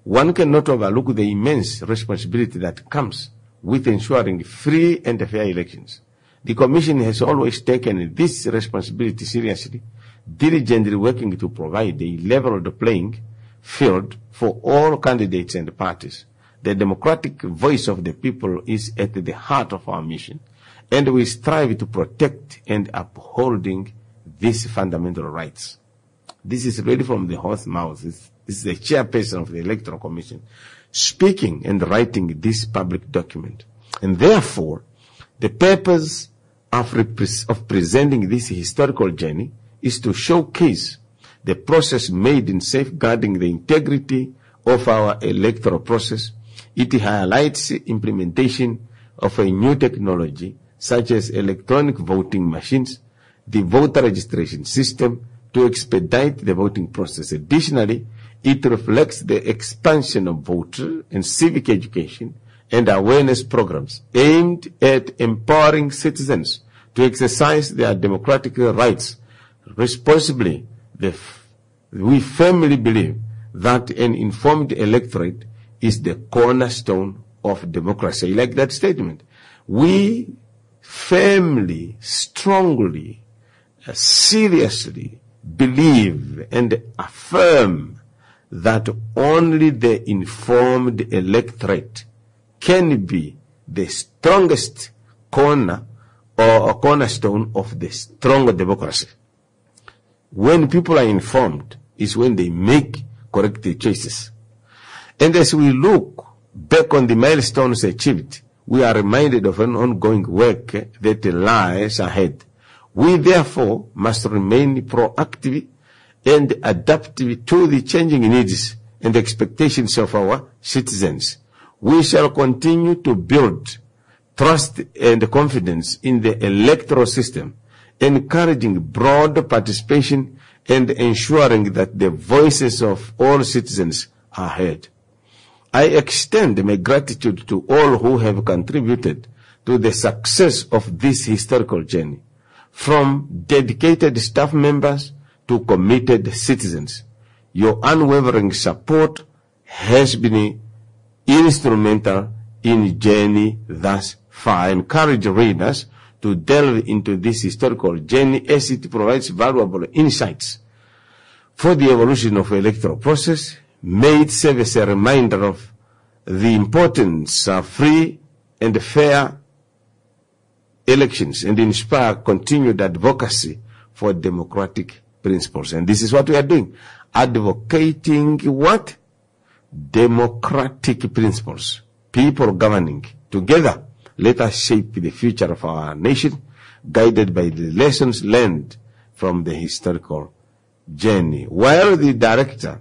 One cannot overlook the immense responsibility that comes with ensuring free and fair elections. The Commission has always taken this responsibility seriously, diligently working to provide a level playing field for all candidates and parties. The democratic voice of the people is at the heart of our mission, and we strive to protect and upholding these fundamental rights. This is really from the horse mouth. This, this is the chairperson of the Electoral Commission speaking and writing this public document. And therefore, the purpose of, repre- of presenting this historical journey is to showcase the process made in safeguarding the integrity of our electoral process. It highlights the implementation of a new technology such as electronic voting machines, the voter registration system, to expedite the voting process. Additionally, it reflects the expansion of voter and civic education and awareness programs aimed at empowering citizens to exercise their democratic rights responsibly. The f-, we firmly believe that an informed electorate is the cornerstone of democracy. I like that statement. We firmly, strongly, uh, seriously believe and affirm that only the informed electorate can be the strongest corner or a cornerstone of the strong democracy. When people are informed is when they make correct choices. And as we look back on the milestones achieved, we are reminded of an ongoing work that lies ahead. We therefore must remain proactive and adaptive to the changing needs and expectations of our citizens. We shall continue to build trust and confidence in the electoral system, encouraging broad participation and ensuring that the voices of all citizens are heard. I extend my gratitude to all who have contributed to the success of this historical journey, from dedicated staff members to committed citizens. Your unwavering support has been instrumental in the journey thus far. I encourage readers to delve into this historical journey as it provides valuable insights for the evolution of electoral process. May it serve as a reminder of the importance of free and fair elections and inspire continued advocacy for democratic principles. And this is what we are doing. Advocating what? Democratic principles. People governing together. Let us shape the future of our nation, guided by the lessons learned from the historical journey. While the director,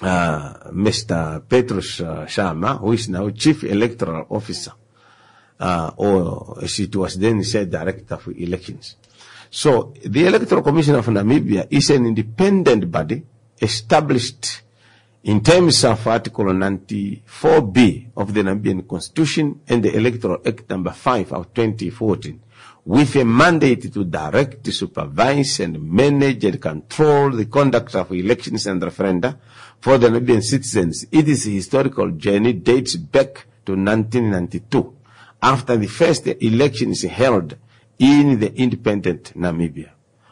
uh, Mister Petrus uh, Shaama, who is now Chief Electoral Officer, uh, or as it was then said, Director for Elections. So the Electoral Commission of Namibia is an independent body established in terms of Article ninety-four B of the Namibian Constitution and the Electoral Act number five of twenty fourteen, with a mandate to direct, supervise, and manage and control the conduct of elections and referenda for the Namibian citizens. Its historical journey dates back to nineteen ninety-two, after the first elections held in the independent Namibia.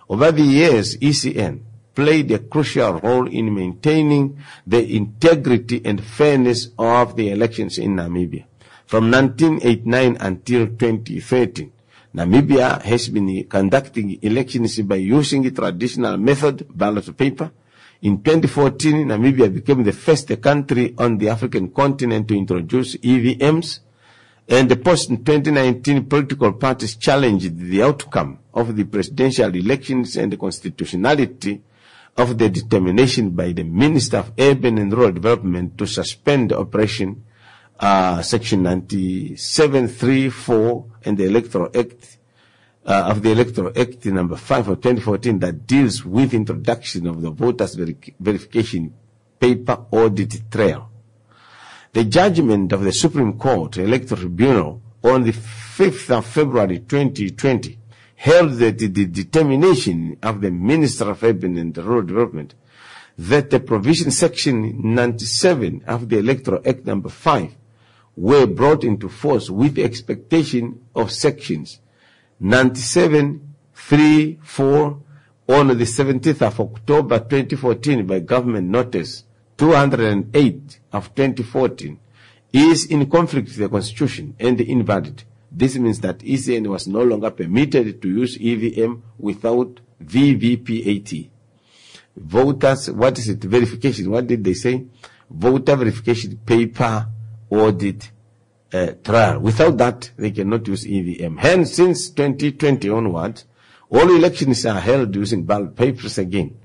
Over the years, E C N played a crucial role in maintaining the integrity and fairness of the elections in Namibia. From nineteen eighty-nine until twenty thirteen, Namibia has been conducting elections by using the traditional method, ballot paper. In twenty fourteen, Namibia became the first country on the African continent to introduce E V Ms. And the post twenty nineteen political parties challenged the outcome of the presidential elections and the constitutionality of the determination by the Minister of Urban and Rural Development to suspend operation, uh, Section ninety-seven three four and the Electoral Act, uh, of the Electoral Act number five of twenty fourteen that deals with introduction of the voters veric-, verification paper audit trail. The judgment of the Supreme Court Electoral Tribunal on the fifth of February twenty twenty held that the determination of the Minister of Urban and Rural Development that the provision section ninety-seven of the Electoral Act number five were brought into force with the expectation of sections ninety-seven, three, four on the seventeenth of October twenty fourteen by Government Notice two hundred and eight of twenty fourteen is in conflict with the Constitution and invalid. This means that E C N was no longer permitted to use E V M without V V P A T. Voters, what is it? Verification. What did they say? Voter verification paper audit, uh, trial. Without that, they cannot use E V M. Hence, since twenty twenty onwards, all elections are held using ballot papers again.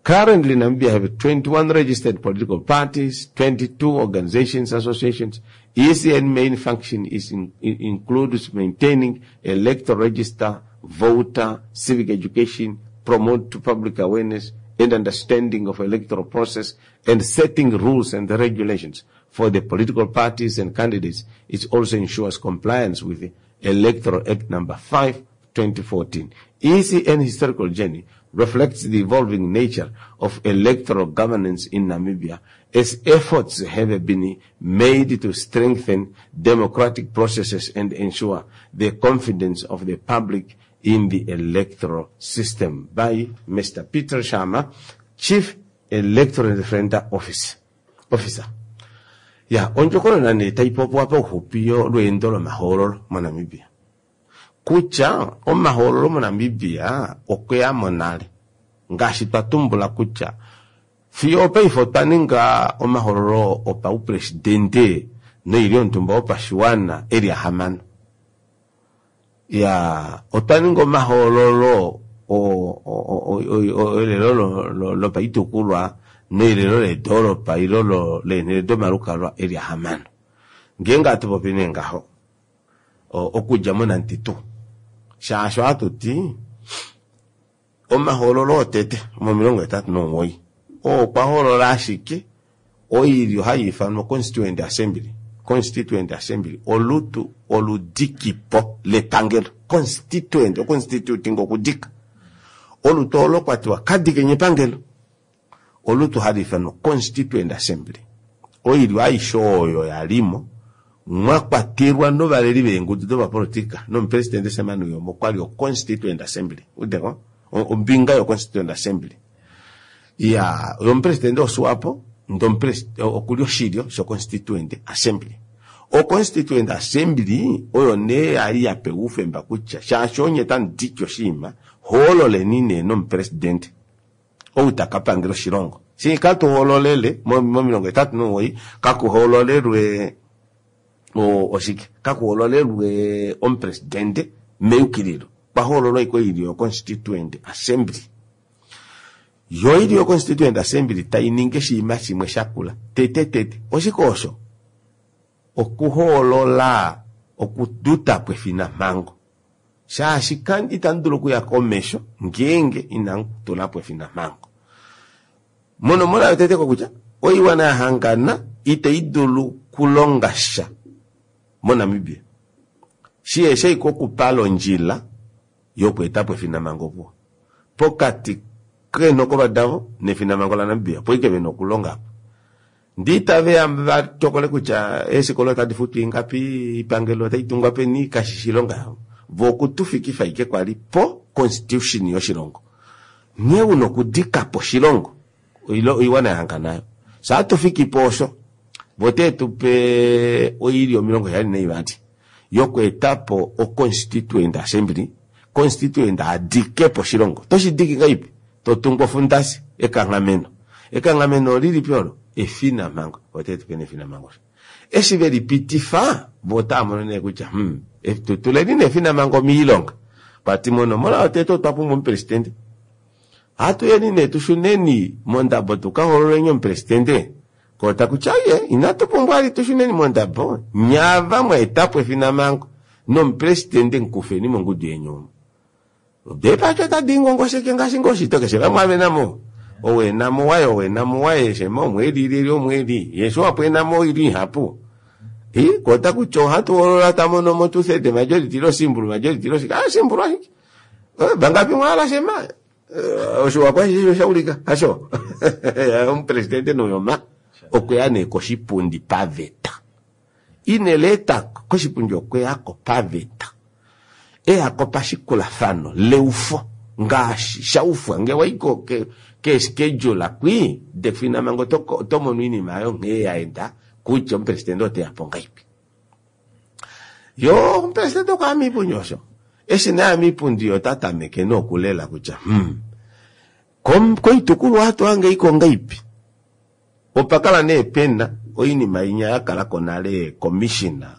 Currently, Namibia have twenty-one registered political parties, twenty-two organizations, associations. E C N main function is in, in, includes maintaining electoral register, voter, civic education, promote to public awareness and understanding of electoral process, and setting rules and regulations for the political parties and candidates. It also ensures compliance with the Electoral Act number five, twenty fourteen. E C N historical journey reflects the evolving nature of electoral governance in Namibia as efforts have been made to strengthen democratic processes and ensure the confidence of the public in the electoral system. By Mister Peter Sharma, Chief Electoral Referenda Office, Officer. Ya, ondjokonona nee taipopiwa pauxupi lweendo lomahoololo moNamibia. Kutya omahoololo moNamibia okweya mo nale. Ngaashi twa tumbula kutya fiyo opaife otwa ninga omahoololo opaupresidente noilyo yontumba yopashiwana eli ahamano. Ya, otwa ninga omahoololo elelo lopaitukulwa noilelo ledoolopa ilo leenhele domalukalwa eli ahamano. Ngeenge hatu popi nee ngaho okudja mo ninety-two shaashi ohatu ti omahoololo otete momilongo hetatu nomuwoi oo okwa hoolola ashike oilyo hai ifanwa Constituent Assembly. Constituent Assembly olutu oludikipo lepangelo. Constituent, oconstituting okudika. Olutu olo kwatiwa kadikenye epangelo. Olutu hali ifanwa Constituent Assembly. Oilyo aishe oyo yalimo mwa kwatelwa novaleli veengudu dopapolitika nomupresidente Sam Nujoma okwa li o Constituent Assembly. Udeko? Ombinga yo Constituent Assembly. Ya, omupresidente woSwapo ndomupresidente okuli oshilyo sho Constituent Assembly. O Constituent Assembly oyo nee yali yapewa oufemba kutya shaashi onye tamudiki oshiima hoololeni nee nomupresidente ou takapangela oshilongo. Shi katuhoololele momilongo hetatu nomuwoi kakuhoololelwe oshike kakuhoololelwe omupresidente meyukililo. Kwahoololwa iko oilyo yo Constituent Assembly. Yo ilyo yo Constituent Assembly tainingi oshiima shimwe shakula tete tete oshike osho okuhoolola okudutapo efinamhango shaashi itamu dulu okuya komesho ngeenge inamu tulapo efinamhango. Monomola yotete kokutya oiwana ya hangana itai dulu kulonga sha moNamibia shiye iko okupala ondjila yokweetapo efinamhango opuwo pokati keenhokolo davo nefinamhango laNamibia opo ike vena okulonga apo. Ndee itave vatokole kutya eefikola otadi futwa ingapi, oipangelo otai tungwa peni, kashishi oilonga yavo. Vo okutufikifa ike kwali po constitution yoshilongo. Nghee una okudikapo oshilongo oiwana yahangana nayo. Sha tufikipo osho vo teetupe oilyo omilongo heyali naivali yokweetapo o-Constituent Assembly, Constituent adikepo oshilongo. Toshidiki ngaipi? Totungu ofundasi ekanghameno. Ekanghameno olilipi olo? Efinamhango. Oteetupe nefinamhango. Eshi velipitifa vo otava mono nee kutya hmm, tutuleni nefinamhango miilonga. Kwati monomola yotete otwa pumbwa omupresidente. Hatuyeni nee tushuneni mondabo tukahoololeni omupresidente. Kota kutya ye inatu pumbwa ali tushuneni mondabo nyava mwaetapo efinamhango nomupresidente nkufeni mongudu yenyu. Depacho tadingongosheke ngaashi ngoshito keshe vamwe avenamo. Owenamo waye owenamo waye shema omweli leli omweli yesho wapwenamo ili ihapu. I kota kutya ohatu hoolola tamono mo two third majority lo simbulu majority lo shika ah simbulu ashike. Bangapi mwala shema osho wakwa shaulika hasho omupresidente Nujoma okweya nee koshipundi paveta. Ineleta koshipundi okweyako paveta. Eyako pashikulafano leufo ngaashi shaufwa nge waiko ke, ke schedule kwi definamhango otomono oinima ayo nghee yaenda kutya omupresidente oteyapo ngaipi. Yo omupresidente okwaya miipundi osho. Eshi naya miipundi ota tameke nokulela kutya hmm, koitukulwa hatu hange iko ngaipi. Opakala nee pena oinima inya yakalako nale commissioner.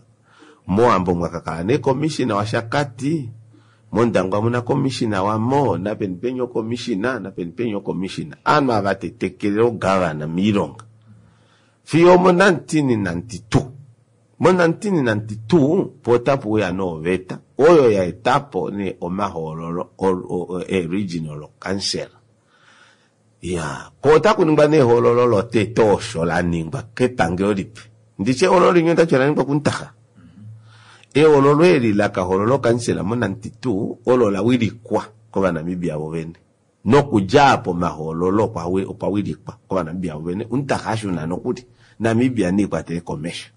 Mowambo mwakakala nee commissioner waShakati, mOndangwa muna commissioner wamo, napeni penya ocommissioner, napeni penya ocommissioner. Aanhu ava tetekele ogavana miilonga. Fiyo mo nineteen ninety-two. Mo nineteen ninety-two po otapu uya noveta oyo yaetapo nee omahoololo e regional council. Ya, ko otakuningwa nehoololo lotete osho la ningwa kepangelo lipe. Nditye olo linye otachi la ningwa kuntaha. Ehoololo eli lakahoolola okansela mo ninety-two olo la wilikwa kOvanamibia vovene. Nokudja apo omahoololo okwa wilikwa kOvanamibia vovene, omunhu ashuna nokuli Namibia neikwatele komesho.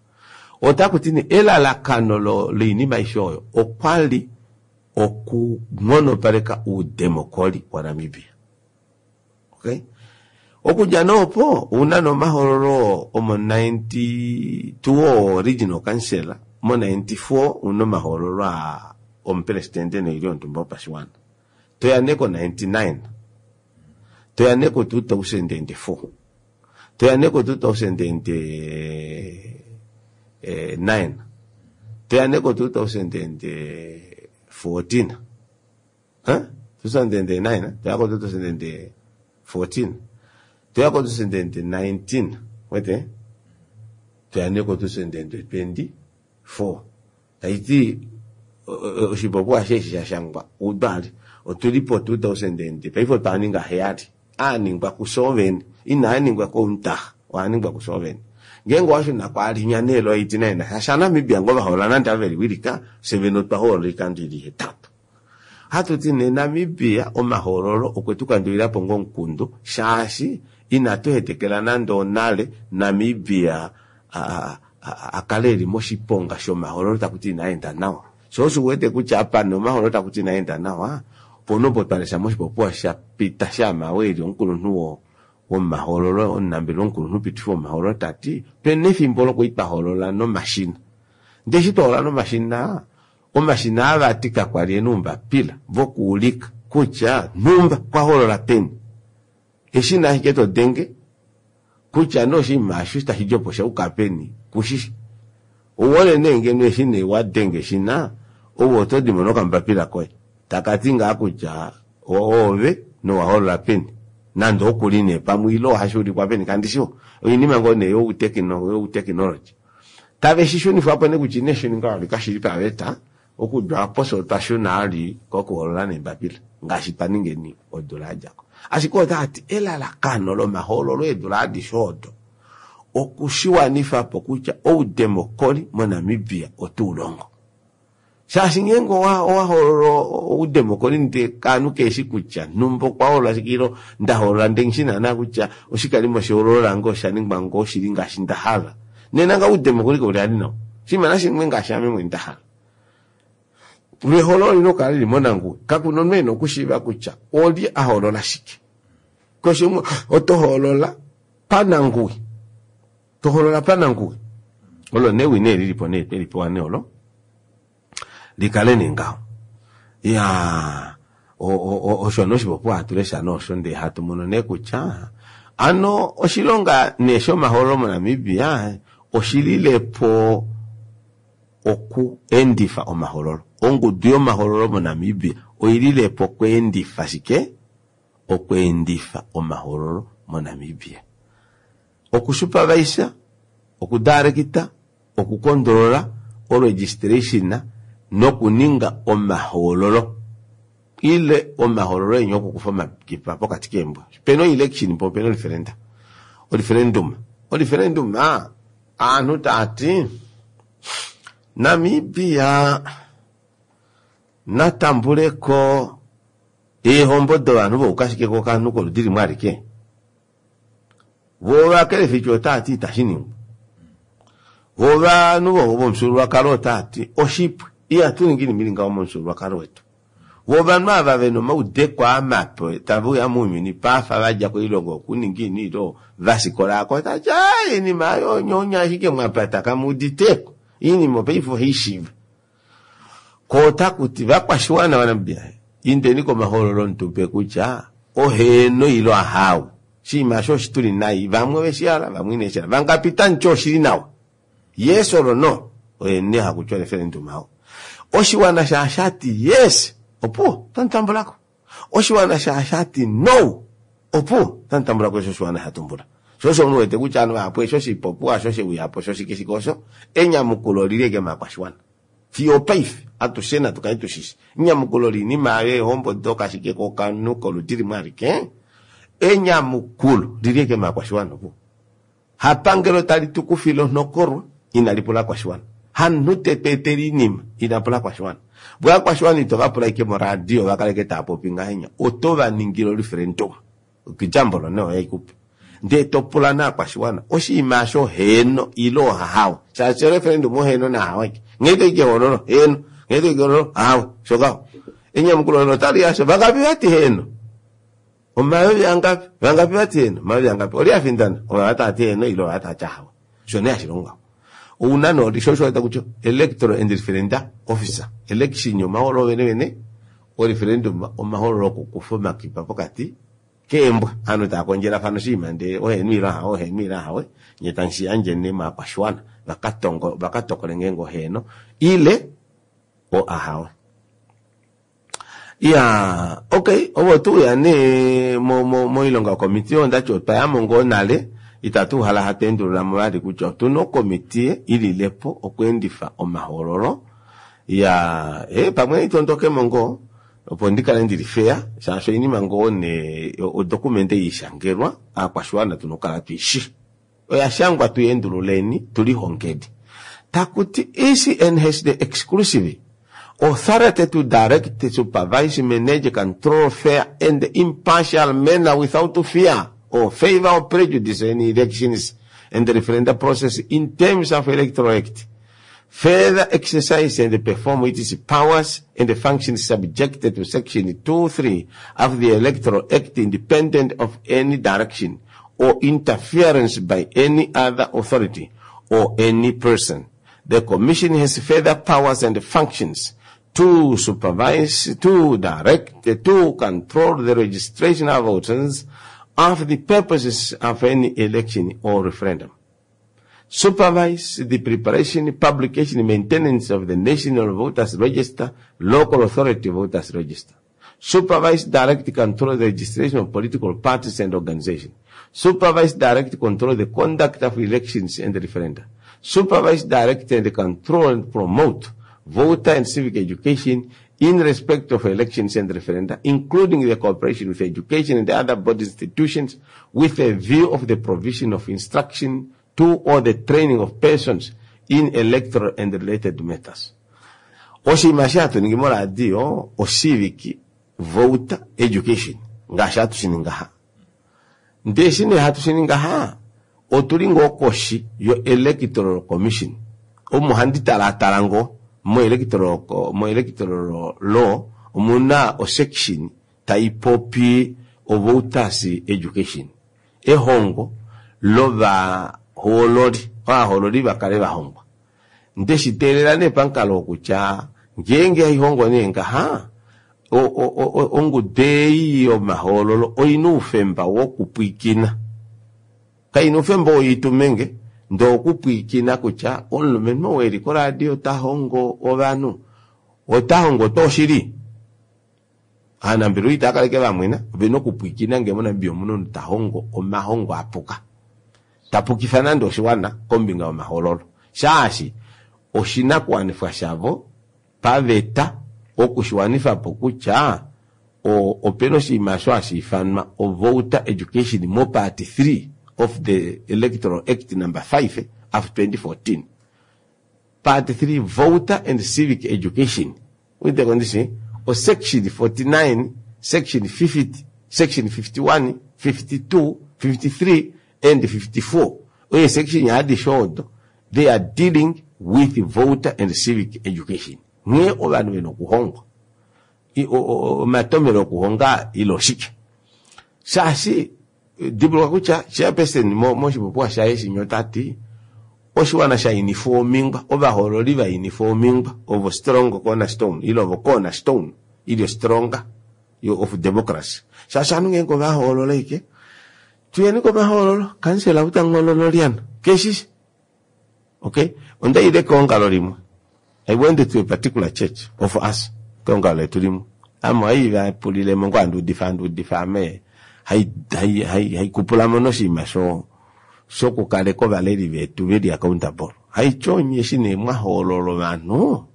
Otaku ti nee elalakano loinima aishe oyo okwa li okunghonopaleka oudemokoli waNamibia. Okay? Okudja noopo ouna nomahoololo omo ninety-two regional council, mo ninety-four una omahoololo a omupresidente noilyo yonhumba yopashiwana. Toya nee ko ninety-nine, toya nee ko two thousand and four, toya nee ko two thousand and nine, toya nee ko two thousand and fourteen, huh? two thousand and nine, toya ko two thousand and fourteen, toya ko two thousand and nineteen, wete? Toya nee ko two thousand and twenty-four. Taiti oshipopiwa sheshi shashangwa udali otulipo two thousand and paife otwaninga heyali aaningwa kusoveni inaaningwa komuntaha oaningwa kusoveni ngeenge washuna kwalinya neelo eighty-nine shasha Namibia ngo vahoolola nande aveliwilika seveni otwahoolola oikando ili hetatu. Hatuti ne Namibia omahoololo okwe tukandulila po ngomukundu shaashi inatu hetekela nande onale Namibia akale eli moshiponga shomahoololo takuti inaenda nawa. Sho osho uwete kutya apa nomahoololo takuti inaenda nawa ponopo twalesha moshipopiwa sha pita shaMaweli omukulunhu womahoololo omunambelewa omukulunhu pitifi womahoololo tati pena efimbo lokuitwahoolola nomashina. Ndee eshi twahoolola nomashina, omashina ava ti kakwali ena oumbapila vokuulika kutya nhumba kwahoolola peni. Eshina ashike todenge kutya noshinima osho tashi djopo shauka peni kushishi. Ouwole nee ngeno eshina wadenge eshina ouwo oto dimo nokambapila koye takati ngaa kutya oove nowahoolola peni nande okuli nee pamwe ile ohashuulikwa peni kandishiwo oinima ngoo nee youteknology tave shishunifwapo nee kutya ineshininga vali kashili paveta okudja apo fye otwa shuna ali kokuhoolola neembapila ngaashi twaningeni odula yadjako. Ashike otaati elalakano lomahoololo eedula adishe odo okushiwanifapo kutya oudemokoli moNamibia otuulongo. Shaashi ngeenge owahoolola oudemokoli ndee kaanhu keeshi kutya nhumba okwahoolola shike ilo ndahoolola ndee nghishi naana kutya oshikalimo shehoololo lange oshaningwa ngoo shili ngaashi ndahala. Nena nga oudemokoli kauli ali nawa. Oshinima nashiningwe ngaashi ame mwene ndahala. Lwehoololo olina okukala lili monanguwi. Kakuna omunhu ena okushiiva kutya olye ahoolola shike. Keshe umwe oto hoolola pananguwi. Tohoolola pananguwi. Olo newi nee lilipo nee twelipewa nee olo likale nee ngaho. Ya osho noshipopiwa hatu lesha nosho ndee hatu mono nee kutya ano oshilonga nee shomahoololo moNamibia oshililepo okuendifa omahoololo. Ongudu yomahoololo moNamibia oililepo okuendifa shike? Okuendifa omahoololo moNamibia. Okusupervisa, okudirecta, okukondolola oregistration nokuninga omahoololo ile omahoololo enya okukufa omakipa pokati keembwa. Pena election po pena referenda. Referendum. Referendum aanhu taati Namibia natambuleko eehombo dovanhu voukashike kokanhu koludi limwe alike. Vo ovakelefici otaati itashi ningwa. Vo ovanhu vomufyuululwakalo otaati oshipwe ihatu ningi inima ili ngaho momufyuululwakalo wetu. Vo ovanhu ava vena omaudeko amape tave uya mounyuni paafa vadja koilongo okuninga ini ilo vasikola ako tati inima ayo onyonya ashike mwapata kamuuditeko inima paife ohaishiiva. Ko otakuti vakwashiwana vaNamibia indeni komahoololo mutupe kutya oheeno ilo ahawe. Oshinima osho oshituli nai vamwe oveshihala vamwe ineshihala vangapi tamuti oshili nawa yes or no oyene hakutya referendum awo. Oshiwana shaashati yes opuwo tamutambulako. Oshiwana shaashati no opuwo tamutambulako osho oshiwana shatumbula. Sho osho omunhu wete kutya ovanhu vahapu eshi oshipopiwa osho sheuyapo sho shike shike osho enyamukulo olili eke maakwashiwana. Fiyo opaife atushe natu kale tushishi enyamukulo liinima ayo eehombo dokashike kokanhu koludi limwe alike enyamukulo lili eke maakwashiwana opuwo. Hapangelo tali tukufile onhokolwa inali pula kwashiwana. Hamunhu tetweetele oinima ina pula ovakwashiwana. Vo ovakwashiwana ito vapula ashike moradio vakaleke taapopi ngahenya, oto vaningile oreferendum. Example nee oyo haikupe. Ndee topula naakwashiwana oshinima aasho heeno ile ohahawe. Shaashi oreferendum oheeno nahawe aike. Nghee toyi kehoololo heeno, nghee toyi kehoololo ahawe, osho ngaho. Enyamukulo olo otali asho vangapi vati heeno? Omayovi angapi? Vangapi vati heeno? Omayovi angapi? Oli afindana? Ova tavati heeno ile ova tavati ahawe. Osho nee hashi longo ngaho. Ouna nee sho osho kutya electoral and referenda officer. Election omahoololo vene vene, oreferendum omahoololo okukufa omakipa pokati keembwa. Ovanhu tava kondjelafana oshinima ndee oheeno ile ahawe, oheeno ile ahawe, nye tamu yandje nee movakwashiwana vakatongo vakatokole ngeenge oheeno ile o ahawe. Iyaa okay ovo tuuya nee moilonga yokomitiye ondati otwayamo ngoo nale itatu uhala hatu endululamo vali kutya otuna okomitiye ililepo okweendifa omahoololo. Iyaa ee pamwe naitondokemo ngoo opo ndikale ndili fair shaashi oinima ngoo nee odocument ishangelwa aakwashiwana tuna okukala tuishi. Oya shangwa tuyeendululeni tulihongeni. Takuti E C N has the exclusive authority to direct, supervise, manage, control fair and impartial manner without fear or favor or prejudice any elections and the referendum process in terms of Electoral Act. Further exercise and perform its powers and the functions subjected to Section two three of the Electoral Act independent of any direction or interference by any other authority or any person. The Commission has further powers and functions to supervise, to direct, to control the registration of voters of the purposes of any election or referendum. Supervise the preparation, publication, maintenance of the National Voters Register, Local Authority Voters Register. Supervise, direct, control the registration of political parties and organizations. Supervise, direct, control the conduct of elections and referenda. Supervise, direct, and control and promote voter and civic education in respect of elections and referenda, including the cooperation with education and other body institutions with a view of the provision of instruction to or the training of persons in electoral and related matters. Oshinima eshi hatu ningi moradio ocivic voter education ngaashi hatu shi ningi ngaha. Ndee eshi nee hatu shi ningi ngaha, otuli ngoo koshi yo Electoral Commission. Omo handi talatala ngoo mo electoral, mo electoral law omuna osection tai popi o voters education. Ehongo lovahoololi, ovahoololi vakale vahongwa. Ndeshi teelela nee pamukalo wokutya ngeenge haihongo nee ngaha, ongudu ei yomahoololo oina oufemba wokupwiikina. Kaina oufemba woitumenge, ndee okupwiikina kutya omulumenhu ou eli koradio ta hongo ovanhu, ota hongo tuu oshili? Ovanambelewa itava kaleke vamwena, ovena okupwiikina ngee moNamibia omuna omunhu ta hongo omahongo apuka. Tapukifa nande oshiwana kombinga yomahoololo. Shaashi oshinakuwanifwa shavo paveta okushiwanifa po kutya opena oshinima osho hashi ifanwa o voter education mo part three of the Electoral Act number five of twenty fourteen. Part three, voter and civic education. With the condition o section forty-nine, section fifty, section fifty-one, fifty-two, fifty-three and fifty-four. Oye section ya short, they are dealing with voter and civic education. Nghee ovanhu vena okuhongwa. Omatomelo okuhonga ile oshike. Shaashi dimbuluka kutya chairperson moshipopiwa shaye shinya otati oshiwana sha inifa omingwa, ovahoololi va inifa omingwa ovo strong cornerstone ile ovo cornerstone ile stronger of democracy. Shaashi ovanhu ngeenge ovahoolola ike tuyeni komahoololo, kansela utangololo lyana keshishi. Okay, ondaile keongalo limwe. I went to a particular church of us. Keongalo letu limwe. Amo hai vapulilemo ngoo anduudifa anduudifa ame hai hai hai haikupulamo noshinima sho shokukaleka ovaleli vetu veli accountable. Haityonye eshi nee mwahoolola ovanhu,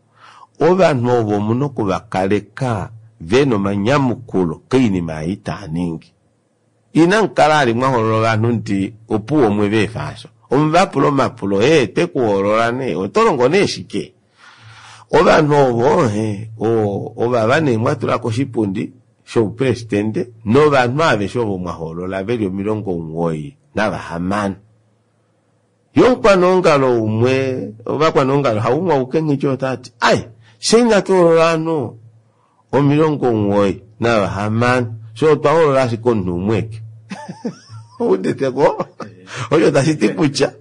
ovanhu ovo omuna okuvakaleka vena omanyamukulo koinima ei taaningi. Inamukala ali mwahoolola ovanhu ndi opuwo omwe veefa asho. Omuvapula omapulo ee twe ku hoolola nee oto longo nee shike? Ovanhu ovo ovava nee mwatula koshipundi shoupresidente novanhu aveshe ovo mwahoolola veli omilongo omugoyi navahamano. Yomukwaneongalo umwe, ovakwaneongalo haumwe auke nghityo otati ai fye inatu hoolola ovanhu omilongo omugoyi navahamano, fye otwa hoolola ashike omunhu umwe eke. Ouditeko? Osho tashi ti kutya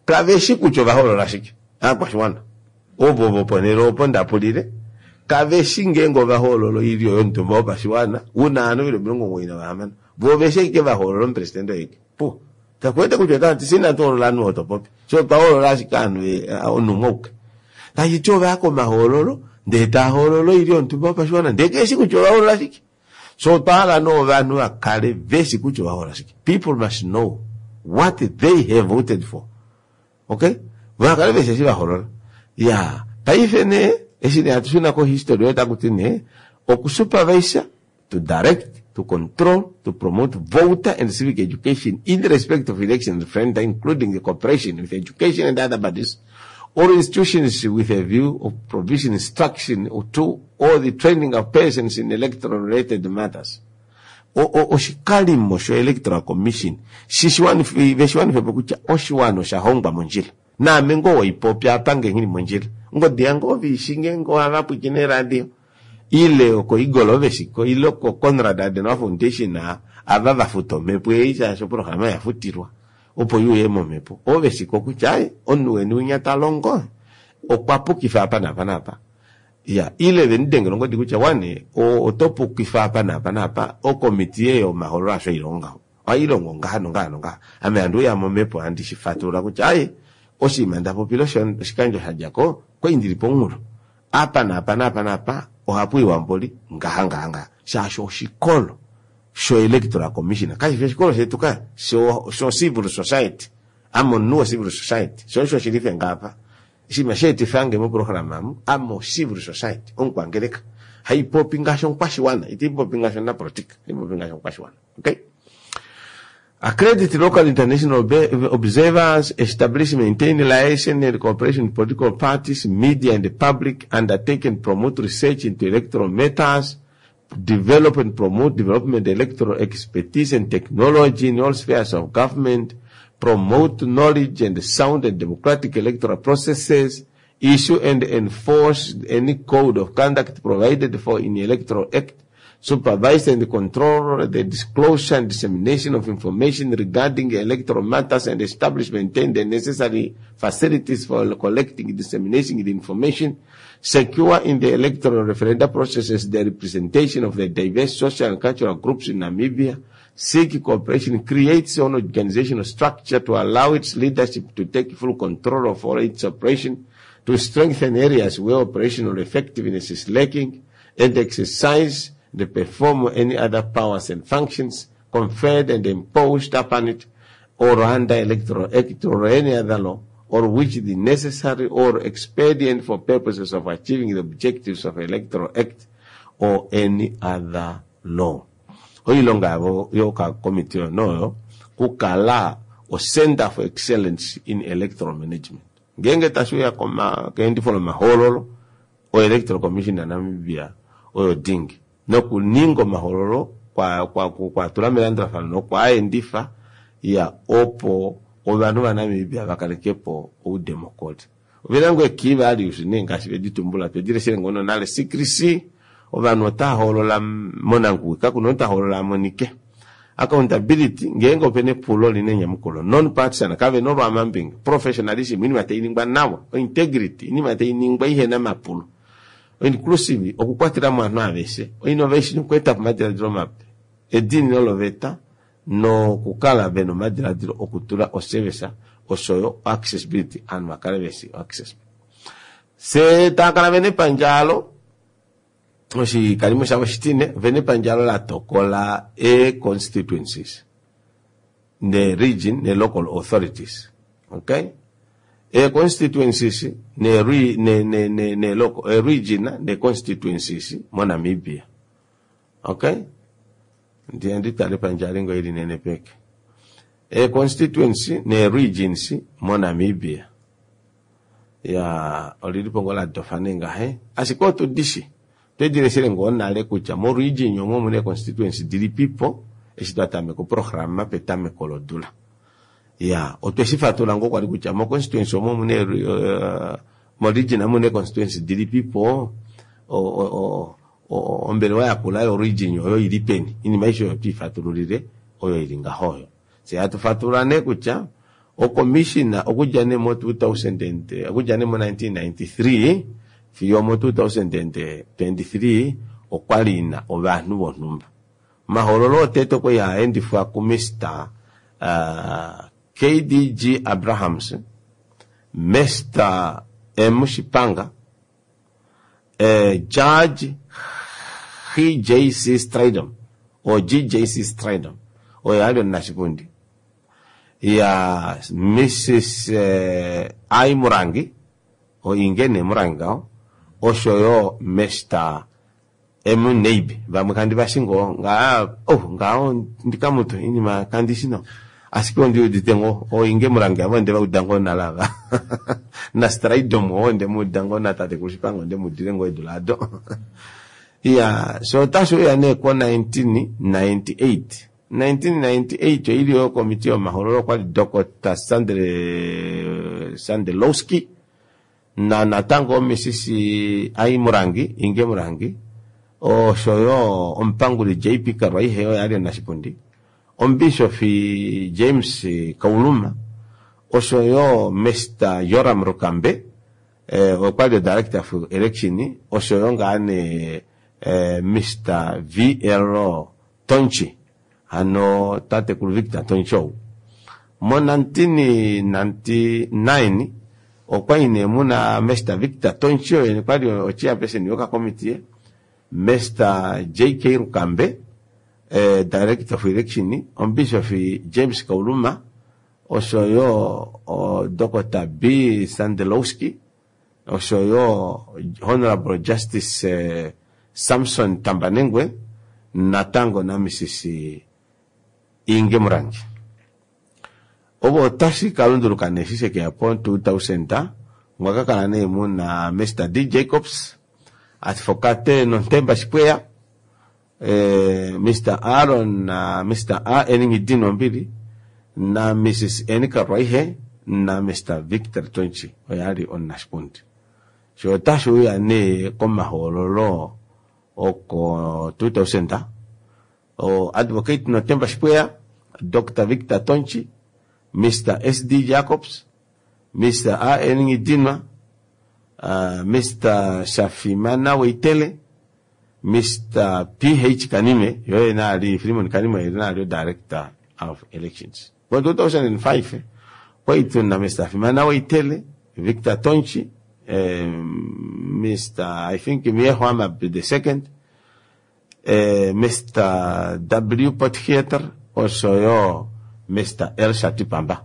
kaveshi kutya ovahoolola shike aakwashiwana ovo voponhele opo ndapulile kaveshi ngeenge ovahoolola oilyo yomutumba wopashiwana una ovanhu veli omilongo omugoyi navahamano vo veshi ashike vahoolola omupresidente oye pu takuwete kutya otavati fye inatu hoolola ovanhu ovo topopi fye otwa hoolola ashike ovanhu omunhu umwe auke. Tashiti ovaya komahoololo ndee tahoolola oilyo yomutumba wopashiwana ndee keshi kutya ovahoolola shike. So otwa hala nee ovanhu vakale veshi kutya ovahoolola shike. People must know what they have voted for. Okay? Vakale veshi eshi vahoolola. Ya, paife nee eshi nee hatu shuna ko history oyo takuti nee okusupervisa, to direct, to control, to promote voter and civic education in respect of election referenda, including the cooperation with education and other bodies or institutions with a view of provision instruction or to or the training of persons in electoral related matters. Oshikalimo sho Electoral Commission veshiwanifepo kutya oshiwana osha hongwa mondjila. Naame ngoo waipopya apa nge nghili mondjila. Ngodi yange ovishi ngeenge ohava pwiikine radio ile oko Eagle oveshiko ile oko Konrad Adenauer Foundation ava vafuta omhepo ei shaashi oprograma yafutilwa opo iuye momhepo. Oveshiko kutya ai omunhu weni winya talongo okwa pukifa apa naapa naapa. Ya, ile venidengela ongodi kutya wane oto pukifa apa naapa naapa okomitiye yomahoololo asho ilonga. Ohailongo ngaha nongaha nongaha. Ame handi uya momhepo handi shifatulula kutya ai oshinima ndapopile oshikandjo shadjako kwai pomunghulo. Apa naapa naapa naapa ohapu iwa mboli ngaha ngaha ngaha. Shaashi oshikolo sho Electoral Commission kashi oshikolo shetu ka sho sho civil society. Ame omunhu wo civil society. Sho osho shilife ngaapa. Oshinima sheetifange moprograma amu ame civil society omukwangeleka haipopi ngaashi omukwashiwana itaipopi ngaashi omunapolitika haipopi ngaashi omukwashiwana. Okay? Accredit local international observers, establish, maintain liaison and cooperation with political parties, media and the public, undertake and promote research into electoral matters, develop and promote development electoral expertise and technology in all spheres of government, promote knowledge and sound and democratic electoral processes, issue and enforce any code of conduct provided for in the Electoral Act, supervise and control the disclosure and dissemination of information regarding electoral matters and establish, maintain the necessary facilities for collecting and disseminating the information, secure in the electoral referenda processes the representation of the diverse social and cultural groups in Namibia, seek cooperation, create its own organizational structure to allow its leadership to take full control of all its operation, to strengthen areas where operational effectiveness is lacking, and exercise and perform any other powers and functions conferred and imposed upon it or under Electoral Act or any other law, or which the necessary or expedient for purposes of achieving the objectives of Electoral Act or any other law. Oilonga yavo yoka committee oyo kukala o Center for Excellence in Electoral Management. Ngeenge tashiuya koma keendifo lomahoololo o Electoral Commission ya Namibia oyo dingi nokuninga omahoololo kwa kwa kwa tula melandulafano nokwaaendifa ya opo ovanhu vaNamibia vakalekepo oudemokoli. Ovena ngoo key values nee ngaashi veditumbula twedileshele ngono nale secrecy ovanhu otahoolola monanguwi kakuna omunhu tahoolola amonike. Accountability ngeenge opena epulo lina enyamukulo, non-partisan kavena olwaamambinga, professionalism inima tainingwa nawa, integrity inima tainingwa ihena mapulo, inclusive okukwatelamo ovanhu aveshe, innovation okweetapo omadiladilo mape, ediinino loveta nokukala vena omadiladilo okutula oservice oshoyo accessibility ovanhu vakale veshi access. Se taakala vena epandjalo oshikalimo shavo shitine vena epandjalo latokola e-constituencies ne region ne local authorities. Okay? E-constituencies ne re, ne ne ne ne local e region ne constituencies mo Namibia. Okay? Ndiye nditale epandjalo ngo ili nenepeke. Ee constituency nee regions moNamibia ya olilipo ngoo ladofa nee ngahe, ashike otudishi twedileshele ngoo nale kutya mo region omo omuna ee constituency dilipipo eshi twatameka oprograma petameko lodula. Ya, otweshifatulula ngoo kwali kutya mo constituency omo omuna uh, mo region omuna ee constituency dilipipo, ombelewa yakula yo region oyo ili peni. Oinima aishe oyo otwiifatululile oyo ili ngaho oyo. Fyee hatu fatulula nee kutya ocommissioner okudja nee mo two thousand and okudja nee mo nineteen ninety three fiyo mo two thousand and twenty three okwali ina ovanhu vonhumba. Omahoololo otete okwali haendifwa ku Mister uh, K D G Abrahams, Mister M Shipanga, eh, Judge G J C Stridom or G J C Stridom, oyo ali omunashipundi, ya Missus eh, I Murangi o Ingene Murangi ngao, osho yo Mister M Neibe, vamwe kandi vashingo nga oh ngao ndikamuto inima kandi shino ashike ondi udite ngo o Inge Murangi avo nde vauda ngo nalava na Stridom o nde muda ngo na tate Shipanga nde mudile ngo edulado. Ya so otashi uya nee ko nineteen ninety-eight. nineteen ninety-eight oili yo komiti yomahoololo kwali Doctor Sandre Sandelowski na natango Missus I Murangi, Inge Murangi, osho yo omupanguli J P Karwaihe oyo ali omunashipundi, omubishofi James Kauluma, osho yo Mister Joram Rukambe, eh, okwali director of election, osho yo ngaa nee, eh, Mister V L Tonchi, hano tatekulu Victor Tonchi ou. Mo nineteen ninety-nine okwali nee muna Mister Victor Tonchi oye okwali ochairperson yokakomitiye, Mister J K Rukambe, eh, director of election, omubishofi James Kauluma, osho yo o Doctor B Sandelowski, osho yo Honorable Justice, eh, Samson Tambanengwe, natango na Missus Inge Murangi. Ovo otashi kalunduluka nee eshi shekeya po two thousand, mwakakala nee muna Mister D Jacobs, Advocate Nontemba Shipweya, eh, Mister Aaron na Mister A N Ngidino Mbili, na Missus N Karwaihe, na Mister Victor Tonchi, oyo ali omunashipundi. Sho otashi uya nee komahoololo oko two thousand, o Advocate Nontemba Shipweya, Doctor Victor Tonchi, Mister S D Jacobs, Mister A N Ngidinwa, uh, Mister Shafimana Weitele, Mister P H Kanime, yoye na ali Philemon Kanime, yoye na ali Director of Elections. Kwa two thousand five, kwa itu na Mister Shafimana Weitele, Victor Tonchi, eh, Mister I think Mieho the second, eh, Mister W Potgieter, osho yo Mister L Shatipamba.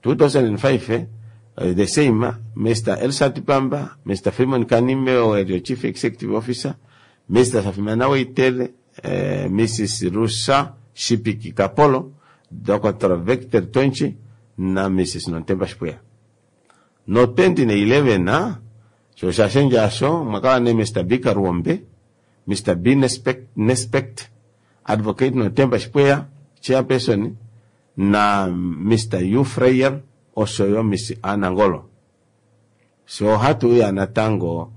two thousand five, eh, the same, Mister L Shatipamba, Mister Philemon Kanime, oyo Chief Executive Officer, Mister Shafimana Weitele, eh, Missus Rusa Shipiki Kapolo, Doctor Victor Tonchi, na Missus Nontemba Shipweya. No twenty eleven, ah, so shashenja asho, mwakawa ne Mister B Karuombe, Mister B Nespect, Nespect, Advocate Nontemba Shipweya, Chairperson, na Mister U Freyer, osho yo Miss Anangolo. So hatu ya natango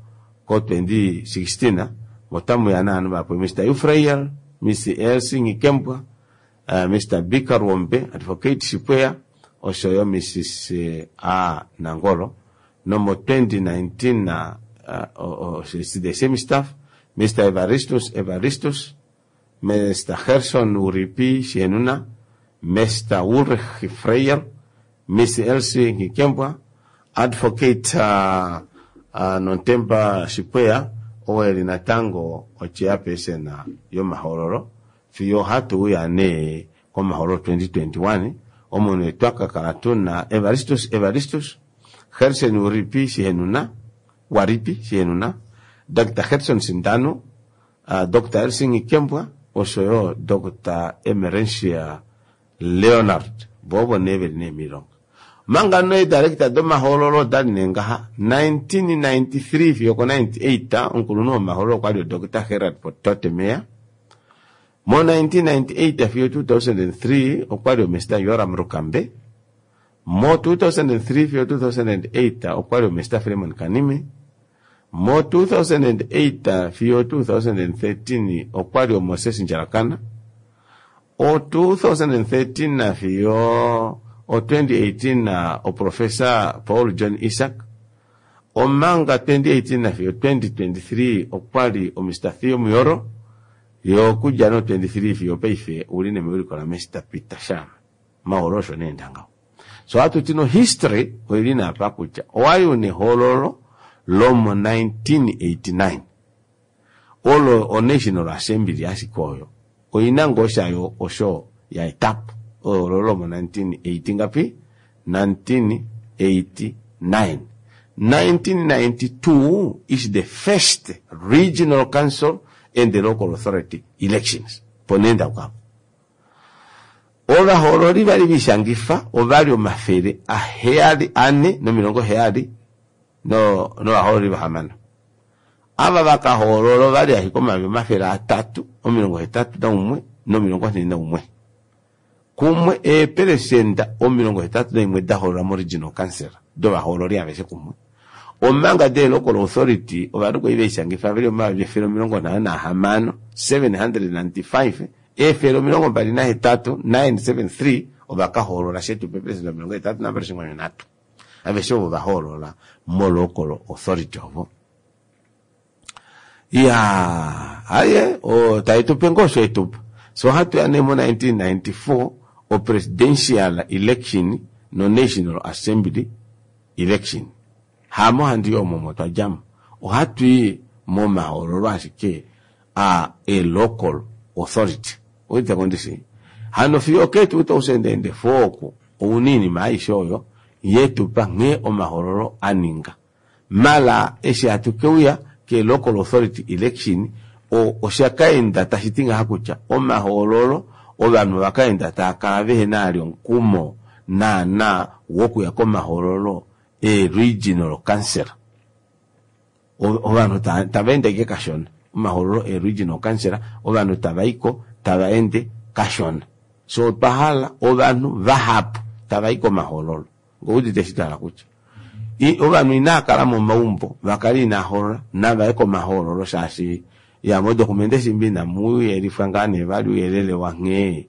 ko twenty sixteen, ah, motamu ya na anuba Mister U Freyer, Miss Elsie Ngikembwa, uh, Mister B Karuombe, Advocate Shipweya, osho yo Missus A Nangolo. No mo twenty nineteen, uh, uh, oh, oh, it's the same staff, Mister Evaristus Evaristus, Mister Gerson Uripi Shenuna, Mister Ulrich Freyer, Miss Elsie Ngikembwa, Advocate, uh, uh, Nontemba Shipweya, oeli natango ochairperson yomahoololo, fiyo hatu uya ne komahoololo twenty twenty-one, omunhu twakakala tuna Evaristus Evaristus, Gerson Uripi Shihenuna, Waripi Shihenuna, Doctor Gerson Sindano, uh, Doctor Elsie Ngikembwa, osho yo Doctor Emerencia Leonard. Vovo nee veli nee miilonga. Manga nee director domahoololo odali nee ngaha nineteen ninety-three fiyo ko ninety-eight omukulunhu womahoololo okwali o Doctor Gerard Totemeyer. Mo nineteen ninety-eight fiyo two thousand three okwali o Mister Joram Rukambe. Mo two thousand three fiyo two thousand eight okwali o Mister Fremon Kanime. Mo two thousand eight fiyo two thousand thirteen okwali o Moses Njalakana. O two thousand thirteen fiyo o twenty eighteen o Professor Paul John Isaac. Omanga twenty eighteen fiyo twenty twenty-three okwali o Mister Theo Muyoro. Yo kudja no twenty-three fiyo paife uli nemewiliko la Mister Peter Shama. Mahoololo osho nee ndanga. So hatu tino history oili na apa kutya owali une hoololo lomo nineteen eighty-nine. Olo o National Assembly ashike oyo. Oina ngoo shayo osho ya etapo. Olo lomo nineteen eighty ngapi? nineteen eighty-nine. nineteen ninety-two is the first regional council and the local authority elections. Ponenda kwapo. Ovahoololi vali vishangifa ovali omafele aheyali ane nomilongo heyali no, novahoololi vahamano. Ava vakahoolola ovali ashike omayovi omafele atatu omilongo hetatu naumwe nomilongo nhee naumwe. Kumwe eepelesenda omilongo hetatu naimwe dahoolola mo regional council dovahoololi aveshe kumwe. Omanga de local authority ovanhu kwali veishangifa veli omayovi efele omilongo nhano nahamano, seven hundred ninety-five, efele omilongo mbali nahetatu, nine seven three, ovakahoolola shetu peepelesenda omilongo hetatu nambali oshinkwanu nhatu. Aveshe ovo vahoolola mo local authority ovo. Ya, aye, o, taitupe ngoo osho etupa. So hatu ya nee mo nineteen ninety-four, o presidential election no National Assembly election. Hamo handi yo momo twa djamo. Ohatu i momahoololo ashike a, a local authority. Oita kondisi. Hano fiyo ke two thousand and four oku, ounini maaishe oyo, yetupa nghee omahoololo a ninga. Mala eshi hatu keuya ke local authority election, o, osha kaenda tashi ti ngaha kutya omahoololo ovanhu vakaenda taa kala vehe na ali omukumo naana wokuya komahoololo e regional council. O-, ovanhu ta-, tava ende ke kashona. Omahoololo e regional council, ovanhu tava iko, tava ende kashona. So otwa hala ovanhu vahapu tava i komahoololo. Ngoudite eshi twa hala kutya. I-, ovanhu inaa kala momaumbo, vakala inaa hoolola, nava ye komahoololo shaashi ya modokumende shimbi inamu yelifwa ngaa nee vali ouyelele wa nghee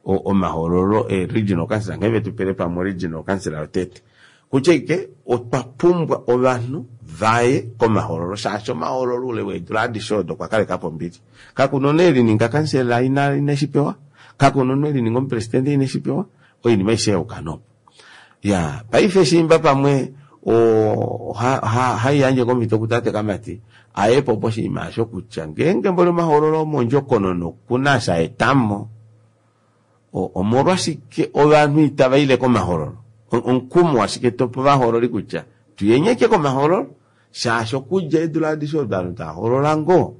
o-, omahoololo e regional council, nghee vetu pele pamwe regional council yotete. Kutya ike otwa pumbwa ovanhu vaye komahoololo shaashi omahoololo ule weedula adishe odo okwa kaleka po ombili. Kakuna nee lininga kansela ina, ina shi pewa, kakuna nee lininga omupresidente ina shi pewa, oinima aishe yauka nopo. Ya, paife shimba pamwe o, ha, ha, haiyandje komhito kutate Kamati, aye po poshinima osho kutya ngeenge mboli omahoololo omondjokonona okuna sha etamo, o-, omolwashike ovanhu itava ile komahoololo? O-, omukumo ashike topo vahoololi kutya tuyenyeke komahoololo, shaashi okudja eedula adishe ovanhu tava hoolola ngoo.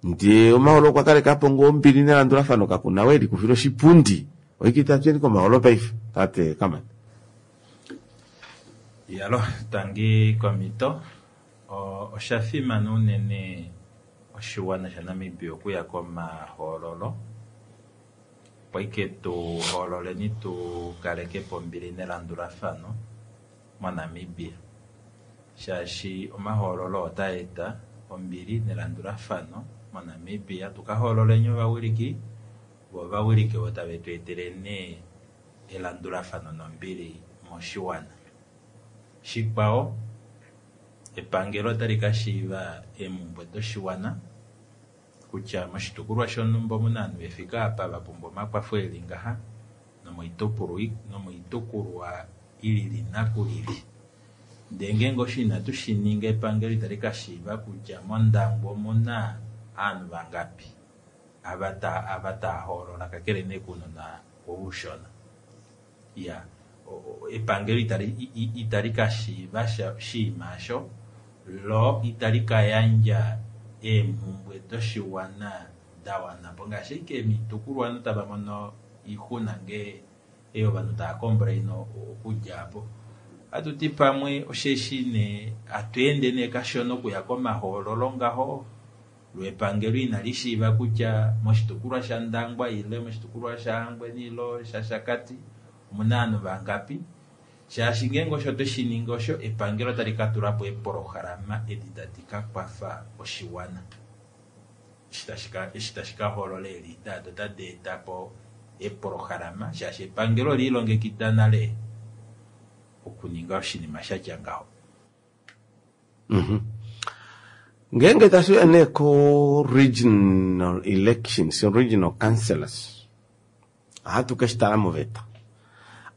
Ndee omahoololo okwa kaleka po ngoo ombili nelandulafano, kakuna we likufila oshipundi. Oike itatu yeni komahoololo paife, tate Kamati. Yalo, tangi komito. O-, osha fimana unene oshiwana shaNamibia okuya komahoololo. Opo ike tu hoololeni tu kaleke po ombili nelandulafano moNamibia. Shaashi omahoololo otaa eta ombili nelandulafano moNamibia. Tu ka hoololeni ovawiliki, vo ovawiliki ovo tave tu etele nee elandulafano nombili moshiwana. Shikwao, epangelo otali ka shiiva eemhumbwe doshiwana kutya moshitukulwa shonhumba omuna ovanhu ve fike apa va pumbwa omakwafo eli ngaha, nomoitukulwa, nomoitukulwa ilili nakulili. Ndee ngeenge osho inatu shi ninga, epangelo itali ka shiiva kutya mOndangwa omuna ovanhu vangapi ava ta-, ava taa hoolola, kakele nee kounona oushona. Ya, o-, o-, epangelo itali, i-, i-, itali ka shiiva sha, oshinima osho, lo itali ka yandja eemhumbwe doshiwana da wana po. Ngaashi ashike moitukulwa ovanhu tava mono oixuna ngee Ei ovanhu tava complain okudja apo. Hatu ti pamwe osheshi nee hatu ende nee kashona okuya komahoololo ngaho, lwepangelo inali shiiva kutya moshitukulwa shaNdangwa ile moshitukulwa shaHangwena ile shaShakati omuna ovanhu vangapi, shaashi ngeenge osho tweshi ninga osho epangelo otali ka tula po eepolohalama edi tadi ka kwafa oshiwana. Eshi tashi ka hoolola eelida ado tadi eta po eepolohalama, shaashi epangelo oliilongekida nale okuninga oshinima shatya ngaho. Mm-hmm. Ngeenge tashiya nee ko regional elections, regional councillors, ohatu ke shi tala moveta.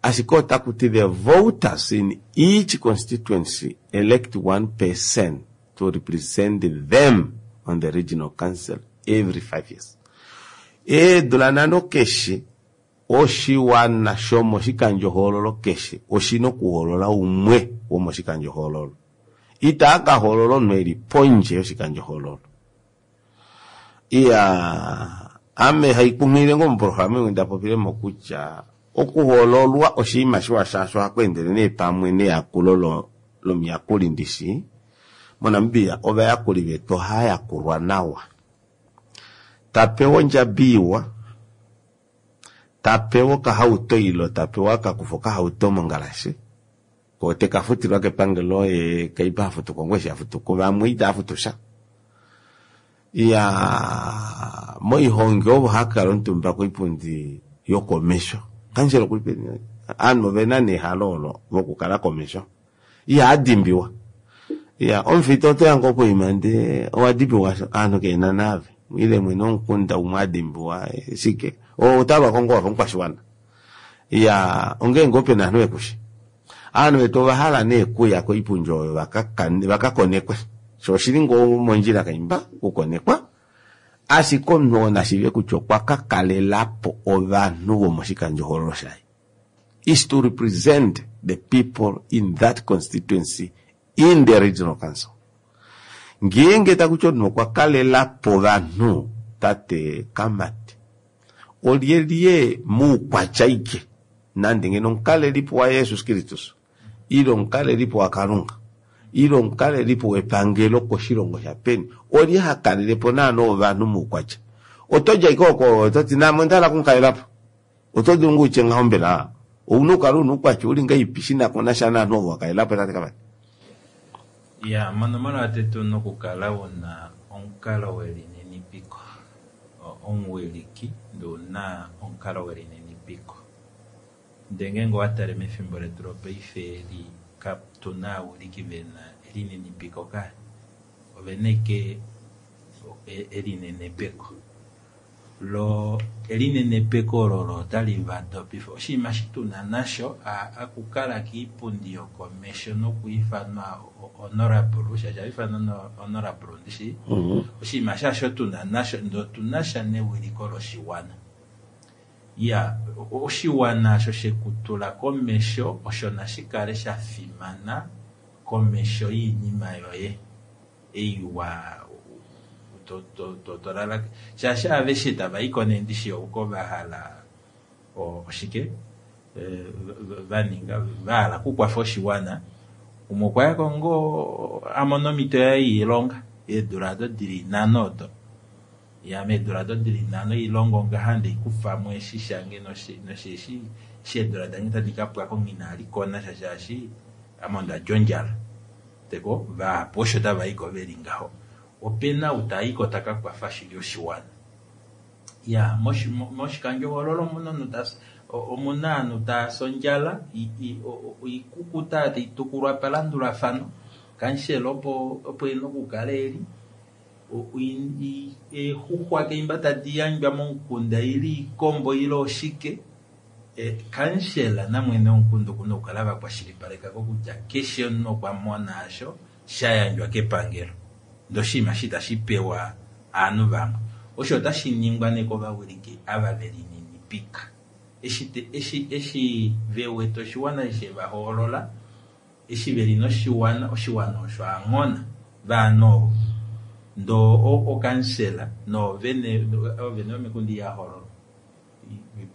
Ashike otaku ti the voters in each constituency elect one person to represent them on the regional council every five years. Eedula nhano keshe oshiwana shomoshikandjohoololo keshe oshina okuhoolola umwe womoshikandjohoololo. Itaa ka hoolola omunhu eli pondje yoshikandjohoololo. Iya, ame haikunghilile ngoo moprograma imwe nda popilemo kutya okuhoololwa oshinima shiwa shaashi ohaku endele nee pamwe neyakulo lomuyakuli ndishi. MoNamibia ovayakuli vetu ohava yakulwa nawa. Tapewa ondjabi iwa, tapewa okahauto ilo tapewa akakufa okahauto mongalashe, ko teka futilwa kepangelo ye kaipa hafutu ko ngoo eshi hafutu ko, vamwe itava futu sha. Iya, moihongi ovo hakala omutumba koipundi yokomesho. Kansela okuli peni? Ovanhu ovena nehalo olo vokukala komesho. Ihaa dimbiwa. Iya, omufita otoya ngoo poima ndee owa dimbiwa ovanhu kehena naave. Ile mwene womukunda umwe adimbiwa shike. Otalwako ngoo wafa omukwashiwana. Iya, ongeenge ope na ovanhu vekushi. Ovanhu vetu ova hala nee kuya koipundi oyo vaka konekwe. Sho oshili ngoo mondjila kaimba okukonekwa. Ashike omunhu oo nashiive kutya okwa ka kalelapo ovanhu vomoshikandjohoololo shaye. Is to represent the people in that constituency in the regional council. Ngeenge takuti omunhu okwa kalelapo ovanhu, tate Kamati, olyelye muukwatya ike nande ngeno omukalelipo waJesus Kristus ile omukalelipo waKalunga ile omukalelipo wepangelo koshilongo shapeni, olye hakalelepo naana ovanhu muukwatya? Oto dja ike oko ototi naame onda hala okumukalelapo. Oto dulu ngoo utye ngaho mbela? Ouna okukala una oukwatya uli ngahelipi shina ko nasha novanhu ovo wakalelapo tate Kamati? Ya, monomola yotete ouna okukala una omukalo welininipiko. Omuwiliki ndee ouna omukalo welininipiko. Ndee ngeenge owatale mefimbo letu lopaife eli katuna aawiliki vena elininipiko kaya. Ovena ashike elinenepeko. Lo elinenepeko olo otali vadopifa. Oshinima eshi tuna nasho akukala koipundi yokomesho nokwiifanwa honorable, shaashi ohaifanwa honorable ndishi. Oshinima shaasho tuna nasho ndee otunasha newiliko loshiwana. Iya, oshiwana osho shekutula komesho osho nashikale shafimana komesho yoinima yoye ei wa to shaashi aveshe tavaiko nee ndishi oko vahala oshike vaninga vahala okukwafa oshiwana. Umwe okwayako ngoo amona omhito yaye yoilonga eedula odo dili nhano odo. Ya meedula odo dili nhano oilongo ngaha ndeikufamo eshi shange nosheshi eshi eedula dange tadi kapwako nghina likonasha shaashi ame ondalya ondjala. Teko vahapu osho tavaiko veli ngaho. Opena ou taiko taka kwafa shili oshiwana. Ya, moshikandjohoololo omuna omuna ovanhu taasi ondjala, oikukuta taitukulwa palandulafano, kansela opo opo ena okukala eli, eexuxwa keimba tadi yandjwa momukunda ile oikombo ile oshike, kansela namwene womukunda okuna okukala vakwashilipaleka kutya keshe omunhu okwa mona osho sha yandjwa kepangelo. Ndee oshinima eshi itashi pewa ovanhu vamwe. Osho otashi ningwa nee kovawiliki ava velininipika. Eshi eshi eshi vewete oshiwana eshi shevahoolola, eshi veli noshiwana, oshiwana osho aanghona vaanhu ovo. Ndee okansela noovene oovene vomikunda ihahoololwa.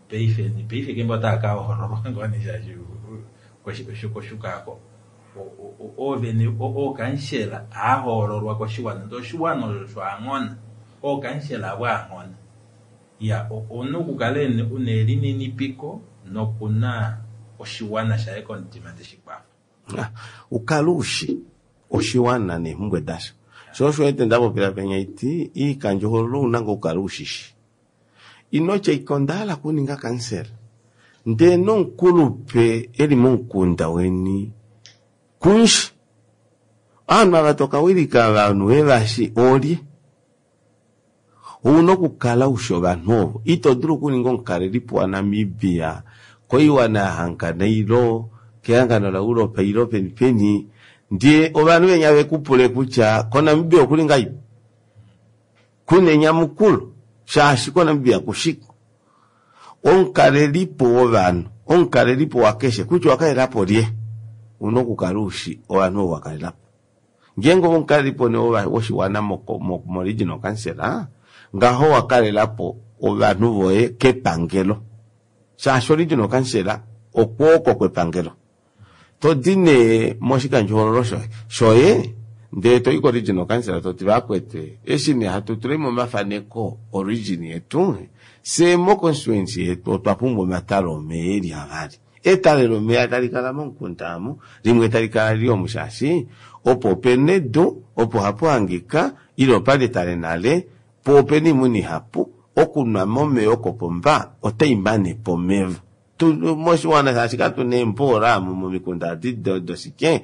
Paife paife kembo otava ka hoololwa ngoo nee shaashi koshukaako oovene ookansela ahoololwa koshiwana ndee oshiwana osho aanghona ookansela avo aanghona iya omunhu okukala una elininipiko nokuna oshiwana shaye komutima teshikwafa. Ukale ushi oshiwana neemhumbwe dasho sho osho wete ndapopila penya iti iikandjohoololo ouna ngoo okukala ushishi inotya ike ondahala okuninga kansela ndee nomukulupe eli momukunda weni kunshi ovanhu ava tokawilika ovanhu vevashi olye ouna okukala ushi ovanhu ovo ito dulu okuninga omukalelipo waNamibia koiwana yahangana ilo kehangano laEuropa ilo peni peni ndee ovanhu venya vekupule kutya koNamibia okuli ngahelipi kuna enyamukulo shaashi koNamibia kushiko omukalelipo wovanhu omukalelipo wakeshe kutya owakalelapo lye una okukala ushi ovanhu ovo wakalelapo ngeenge ove omukalelipo nee woshiwana mo regional council ngaho wakalelapo ovanhu voye kepangelo shaashi regional council okwooko kwepangelo todi nee moshikandjohoololo shoye shoye ndee toyi ko regional council toti vakwete eshi nee hatu tulemo omafaneko origin yetu fye mo constituency yetu otwa pumbwa omatale omeya eli avali etale lomeya talikala momukunda amu limwe talikala lili omu shaashi opo opena edu opo hapu hangika ile opali etale nale po opena oimuna ihapu okunwa momeya okopomba otaimanepo omeva moshiwana shaashi katuna eemboola amu momikunda adi doshike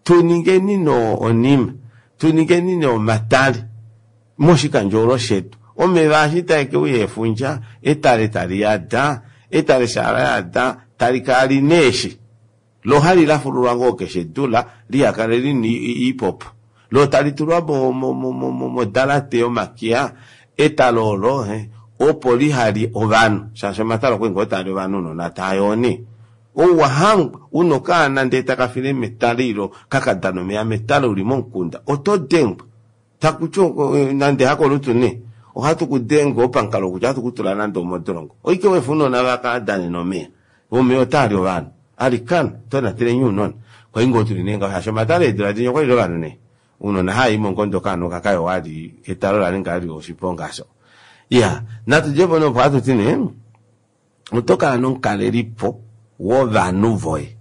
tuningeni no onima tuningeni nee omatale moshikandjohoololo shetu omeva eshi taekeuya efundja etale taliyada etale shaa layada talikala lina eeshi lo hali lafululwa ngoo keshe dula lihakale lina iipopo lo talitulwa modalate yomakiya etale olo opo lihali ovanhu shaashi omatale okwali ngoo taali ovanhu ounona taayoo nee ouwahangwa una okaana ndee takafile metale ilo kakadana omeya metale uli momukunda oto dengwa takuti nande hakolutu nee ohatu kudenge pamukalo kutya ohatu kutula nande omodolongo oike wefa ounona vakadanene omeya omeya otaali ovanhu alikana tonateleni ounona kwali ngoo tuli nee ngaho shaashi omatale eedula dinya okwali ovanhu nee ounona haayimo ngondo okaana okakayowa ali etale olaninga ali oshiponga asho iya natudjepo nee opo hatuti nee otokala nomukalelipo wovanhu voye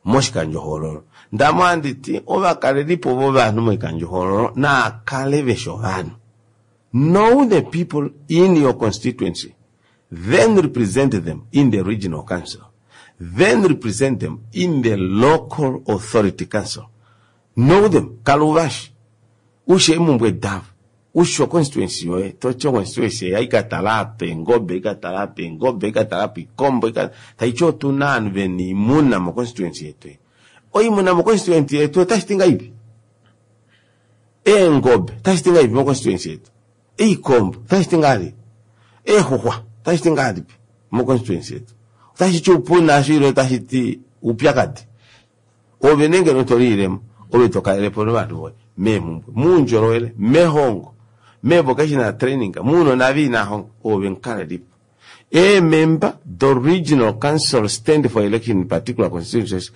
moshikandjohoololo ndamo handiti ovakalelipo vovanhu moikandjohoololo naakale veshi ovanhu know the people in your constituency then represent them in the regional council then represent them in the local authority council know them kala uvashi ushi eemumbwe davo ushi constituency yoye toti constituency eyi aikatala apa eengobe ikatala apa eengobe ikatala apa ikombo taiti otuna ovanhu vena oimuna mo constituency yetu oimuna mo constituency yetu otashiti ngahelipi eengobe otashiti ngahelipi mo constituency yetu eikombo otashiti ngahelipi eexuxwa otashiti ngahelipi mo constituency yetu otashiti upuna asho ile otashiti upyakadi ove nenge toliilemo ove tokalelepo novanhu voye meemhumbwe muundjolowele mehongo me vocational training muunona viinahongo ove mukalelipo Eemember the regional council stand for election in particular constituencies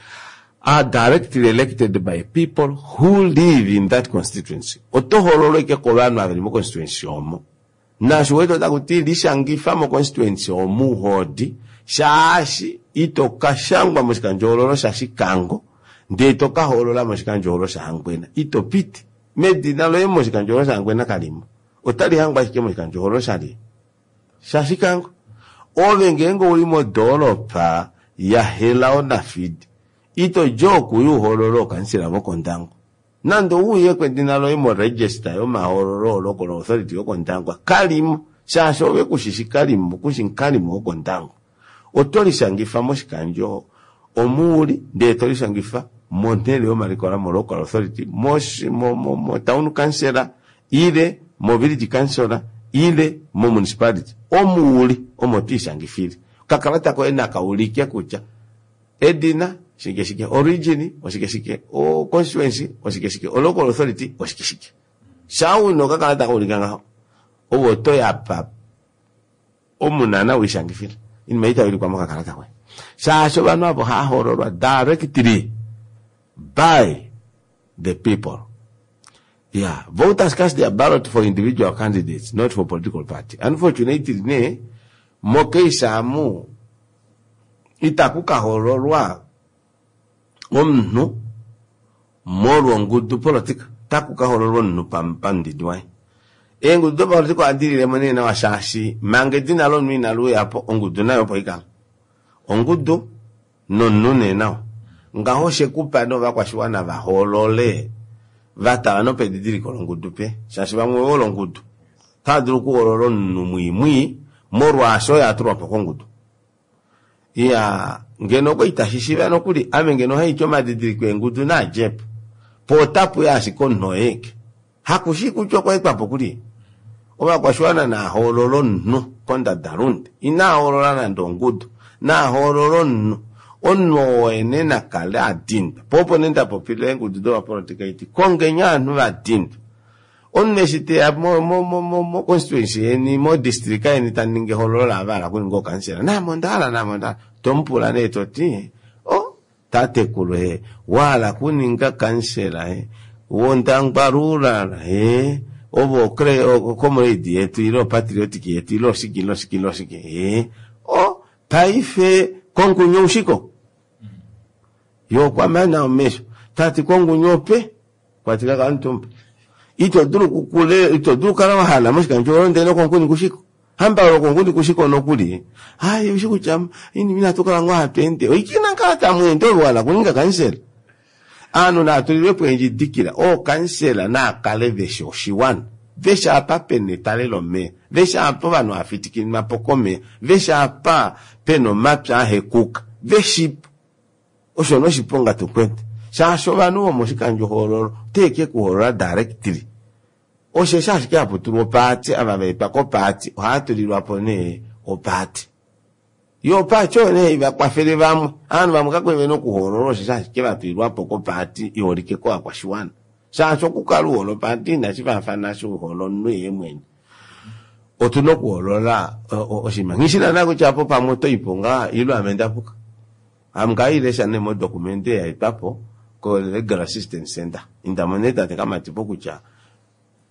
are directly elected by people who live in that constituency. Oto hoololwa ike kovanhu ava veli mo constituency omo naasho wete otakuti lishangifa mo constituency omu hodi shaashi ito kashangwa moshikandjohoololo shaShikango ndee tokahoolola moshikandjohoololo shaHangwena ito piti medina loye moshikandjohoololo shaHangwena kalimo otali hangwa ashike moshikandjohoololo shali shaShikango ove ngeenge uli modoolopa yaHelao Nafidi ito dja okuya uhoolole ookansela vokOndangwa nande ouye kwedina loye mo register yomahoololo local authority yokOndangwa kalimo shaashi ove kushishi kalimo kushi mukalimo wokOndangwa oto lishangifa moshikandjo omuuli ndee tolishangifa monhele yomalikola mo local authority mo, mo, mo town council ile mo village council ile mo municipality omuuli omo twiishangifile okakalata koye nakaulike kutya edina shike shike origin oshike shike o constituency oshike shike o local authority oshike shike shaa una okakalata kaulika ngaho ove otoyapa Omu naana weishangifila oinima ei itai ulikwa mokakalata koye shaashi ovanhu avo ohava hoololwa directly by the people. Yeah, voters cast their ballot for individual candidates, not for political party. Unfortunately, nee, mocase amu itaku ka hoololwa omunhu molwa ongudu politika, otaku ka hoololwa omunhu pamudidi waye. Eengudu dopapolitika ohadi lilemo nee nawa shaashi manga edina lomunhu inali uyapo, ongudu nayo opo ikala. Ongudu nomunhu nee nawa. Ngaho oshekupa nee ovakwashiwana vahoolole vatala nopedidiliko longudu pe shaashi vamwe ovehole ongudu. Otava dulu okuhoolola omunhu mwii mwii molwaasho oye atulwapo kongudu. Iyaa ngeno okwali tashi shiiva nokuli ame ngeno ohaiti omadidiliko eengudu naadjepo po otapuya ashike omunhu oyeeke hakushii kutya okwaetwapo kulye. Ovakwashiwana naahoolole omunhu kondadalunde inahoolola nande ongudu nahoolole omunhu omunhu oo oye nee nakale adindwa po opo nee ndapopila eengudu dopapolitika iti kongeni ovanhu vadindwa omunhu eshi teya mo constituency yeni mo district yeni taningi ehoololo laava vahala okuninga ookansela naame ondahala naame ondahala tomupula nee toti oh tatekulu ee wahala okuninga kansela ee wOndangwa rural ee ovo comrade yetu ile opatriotic yetu ile oshike ile oshike ile oshike ee oh paife kongunyu oushiko ye okwamana omesho tati kongunyu ope kwati kakamutumba ito dulu kukule ito dulu kukala wahala moshikandjohoololo ndele nokonkuni kushiko hamba lokonkuni kushiko nokuli hai ushi kutya inima inatu kala ngoo hatu ende oike inakala tamweende ove wahala okuninga kansela ovanhu naatulilwepo eendjidikila ookansela naakale veshi oshiwana veshi apa pena etale lomeva veshi apa ovanhu hafitikininwapo komeva veshi apa pena omapya ahekuka veshipo osho noshiponga tukwete shaashi ovanhu vomoshikandjohoololo oteke kuhoolola directly osheshi ashike haputulwa opaati ava vaetwa kopaati ohaatulilwapo nee opaati yo opaati oyo nee haivakwafele vamwe ovanhu vamwe kakwali vena okuhoolola osheshi ashike vatulilwapo kopaati iholike kovakwashiwana shaashi okukala uhole opaati inashi faafana eshi uhole omunhu yeemwene otuna okuhoolola oshinima nghishi naana kutya apo pamwe otoipo ngaa ile ame ndapuka ame ngailesha nee modocumente yaetwapo ko Legal Assistance Center indamo nee tate Kamatipo kutya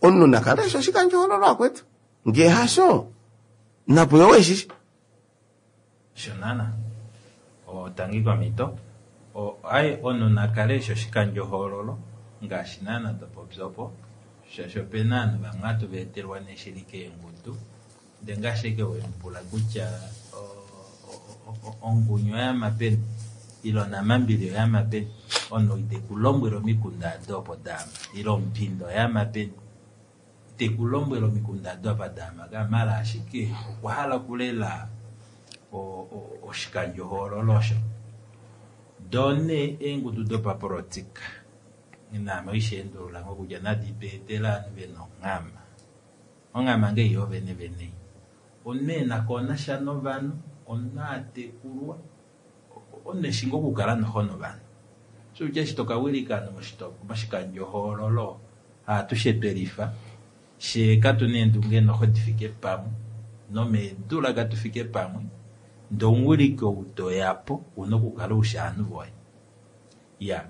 omunhu nakale eshi oshikandjohoololo akwetu ngee hasho napuyo weshishi Osho naana tangi komhito ai omunhu nakale eshi oshikandjohoololo ngaashi naana topopi opo shaashi opena ovanhu vamwe hatu vaetelwa nee shili keengudu ndee ngaashi ashike wemupula kutya ongunyu oyama peni ile onamambili oyama peni omunhu itekulombwele omikunda ado opo daama ile omupinda oyama peni itekulombwele omikunda ado apa daama maala ashike okwahala okulela oshikandjohoololo osho doo nee eengudu dopapolitika naame oisheendulula ngoo kutya nadi tweetele ovanhu vena onghama onghama ngee yoo vene vene omunhu ena novanhu omunhu atekulwa omunhu eshi ngoo okukala noho novanhu shokutya eshi tokawilika ovanhu moshikandjohoololo haatushe twelifa fyee katuna eendunge noho difike pamwe nomeedula katufike pamwe ndee omuwiliki ou toyapo ouna okukala ushi ovanhu voye iya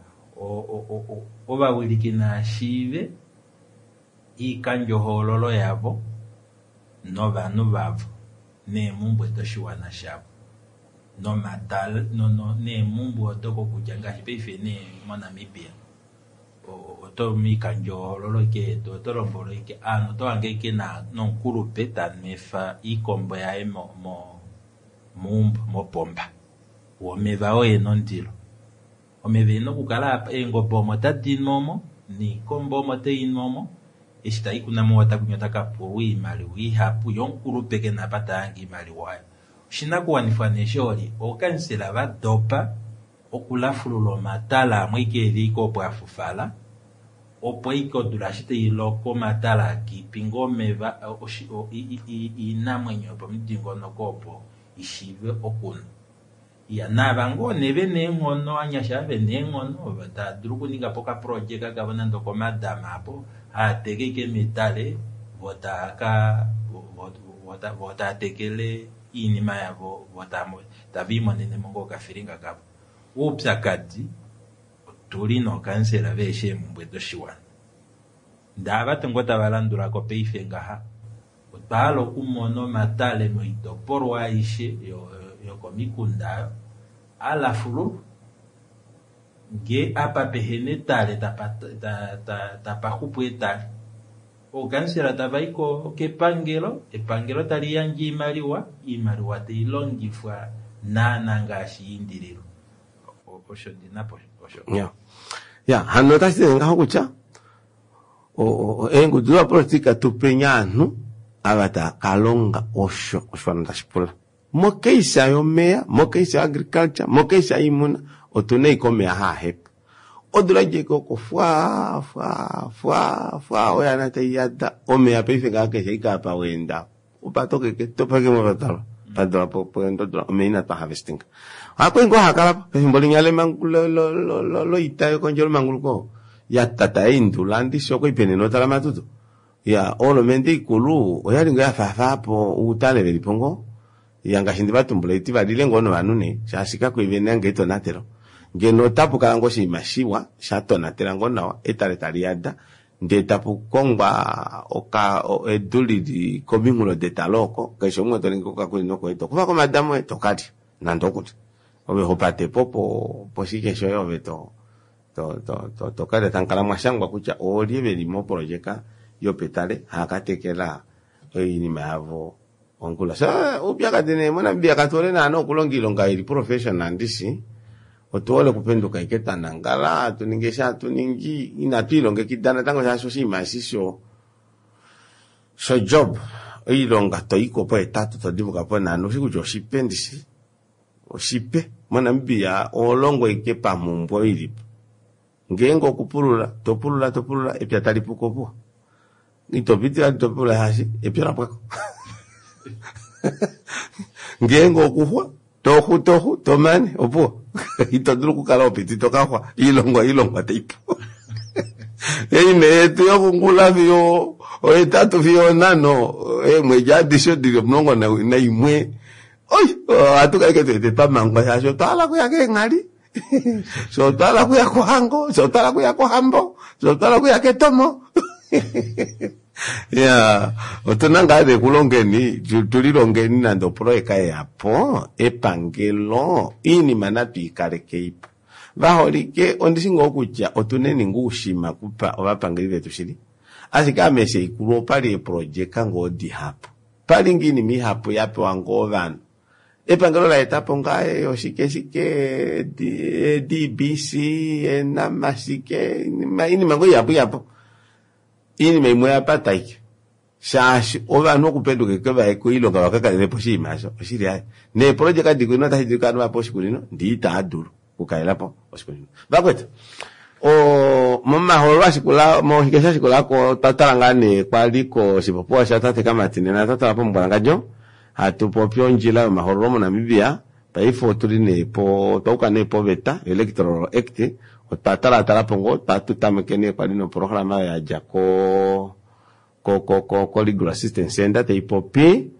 ovawiliki naashiive oikandjohoololo yavo novanhu vavo neemumbwe doshiwana shavo nomatale neemumbwe odo kokutya ngaashi paife nee moNamibia oto moikandjohoololo ashike yetu oto lombwelwa ashike ovanhu otohange ashike nomukulupe tanwefa oikombo yaye meumbo mopomba woo omeva oo ena ondilo omeva ena okukala eengobe omo tadinu omo noikombo omo tainu omo eshi tai kuNamwater kwinya otakapulwa oimaliwa ihapu yee omukulupe kena apa tahange oimaliwa oyo oshinakuwanifwa nee shooli ookansela vadopa okulafulula omatale amwe ashike eli ashike opo afufala opo ashike odula eshi tailoko omatale akiipinga omeva oinamwenyo yopomudingonoko opo ishiive okunwa iya naava ngoo nee vena eenghono ovanyasha ava vena eenghono tava dulu okuningapo okaprojeka kavo nande okomadama aapo haateke ashike metale voo taaka vo tava tekele iinima yavo vo tava imonene mo ngoo okafilinga kavo. Oupyakadi otuli nookansela veeshi eemumbwe doshiwana. Ndava tuu tava landulako paife ngaha otwa hala okumona omatale moitopolwa aishe yokomikunda alafululwa. Ngee apa pehena etale tapa xupu etale. Ookansela tavai kepangelo, epangelo taliyandje oimaliwa, oimaliwa tailongifwa naana ngaashi yaindililwa. Osho ndinapo osho. Ya, hano otashi ngaho kutya eengudu dopapolitika tupeni ovanhu ava tava kalonga osho oshiwana tashi pula. Mokeisa yomeya, mokeisa agriculture, mokeisa yiimuna, otuna ashike omeya haahepa. Odula djeko oko fwa fwa fwa fwa oyana taiyada omeya paife ngaa keshe ashike apa weenda opatokeke topake movatalwa padula poendodula omeya ina twa harvestinga. Ohakwali ngoo hakalapo pefimbo linya loita yekondjelo manguluko ya tata yaindula ndishi okwali pena enota lamatutu. Ya olomente ikulu oyali ngoo yafaafapo outale velipo ngoo ya ngaashi ndivatumbula iti valile ngoo novanhu nee shaashi kakwali vena ngee etonatelo. Ngeno otapu kala ngoo oshinima shiwa shatonatela ngoo nawa etale taliyada ndee tapukongwa oka edu lili kominghulo detale oko keshe umwe toningi okakunino koye tokufa komadamo oye tokalya nande okulya ove hopatepo po poshike shoye ove to to to tokalya tamukala mwashangwa kutya oolye veli moprojeka yopetale haakatekela oinima yavo ongula. So oupyakadi nee moNamibia katuhole naana okulonga oilonga ili professional ndishi. Otuhole okupenduka ashike twanangala atuningi eshi atuningi inatu ilongekida natango shaashi oshinima eshi sho sho job oilonga toyiko pohetatu todimuka ponhano ushi kutya oshipe ndishi oshipe moNamibia oholongo ashike pamumbwe ilipo. Ngeenge okupulula topulula topulula epya talipuko opuwo itopiti topulula shaashi epya olapwako. Ngeenge okuxwa toxu toxu tomane opuwo ito dulu okukala opiti tokaxwa iilongwa iilongwa taipu. Eine yetu yokungula fiyo ohetatu fiyo onhano eemwedi adishe dili omulongo naimwe oi ohatu kala ashike tuwete twamangwa shaashi otwa hala okuya keenghali fye otwa hala okuya kohango fye otwa hala okuya kohambo fye otwa hala okuya ketomo. Ya otuna ngaa nee kulongeni tulilongeni nande oproyeka yeyapo epangelo iinima natu ikalekeipo. Vaholike ondishi ngoo kutya otuneni ngoo oushima kupa ovapangeli vetu shili ashike ame eshi haikulu opali eeprojeka ngoo dihapu pali ngoo oinima ihapu yapewa ngoo ovanhu. Epangelo laetapo ngaa oshike shike D B C enamashike iinima ngoo ihapu ihapu. Iinima imwe oyapata ashike shaashi ovanhu okupenduka ashike vaye koilonga vakakalelepo oshinima osho oshili aaye. Neeprojeka diikunino otashi dulika ovanhu vapewe oshikunino ndee itaadulu okukalelapo oshikunino. Vakwetu momahoololo ashikula moshike shashikulako otwa tala ngaa nee kwali koshipopiwa shatate Kamati nena twatala pomumbwalangadjo hatupopi ondjila yomahoololo moNamibia. Paife otuli nee po twauka nee poveta Electoral Act otwa talatalapo ngoo twatutameke nee kwali noprograma oyo yadja ko ko ko ko Legal Assistance Center taipopi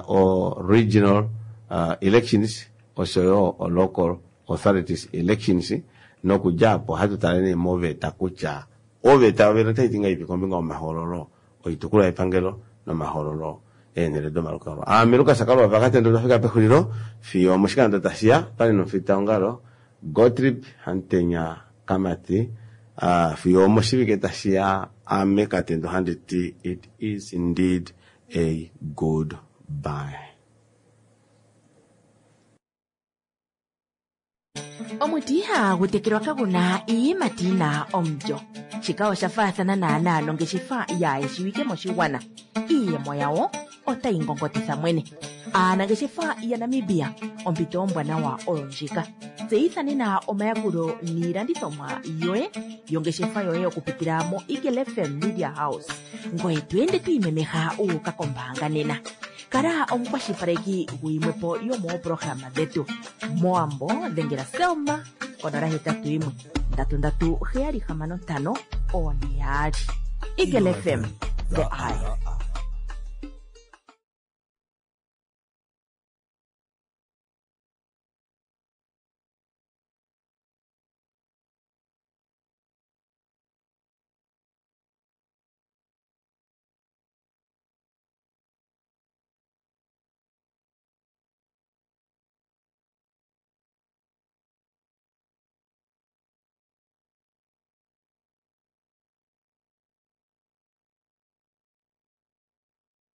o regional elections oshoyo o local authorities elections nokudja apo ohatu tale nee moveta kutya oveta yovene otaiti ngahelipi kombinga yomahoololo oitukulwa yepangelo nomahoololo eenhele domalukalwa. Aame Lukas Kalwa Vakatendo twafika pexulilo fiyo moshikando tashiya pali nomufitaongalo Gottlieb Hamutenya Kamati fiyo moshivike tashiya ame Katendo handiti it is indeed a good bye. Omuti ihagu tekelwa kaguna iiyimati yina omulyo. Shika osha faathana naanaa nongeshefa yaayeshiwike moshigwana. Iiyemo yawo otayi ngongotitha mwene. Aanangeshefa yaNamibia ompito ombwanawa oyo ndjika. Tseyitha nena omayakulo niilandithomwa yoye yongeshefa yoye okupitila mo Eagle F M Media House. Ngoye to ende to imemeha uuka kombaanga nena. Kala omukwashilipaleki guyimwepo yomooprograma dhetu. Moambo dhengela Selma konola hetatu yimwe ndatu ndatu heyali hamano ntano one yaali. Eagle F M, the eye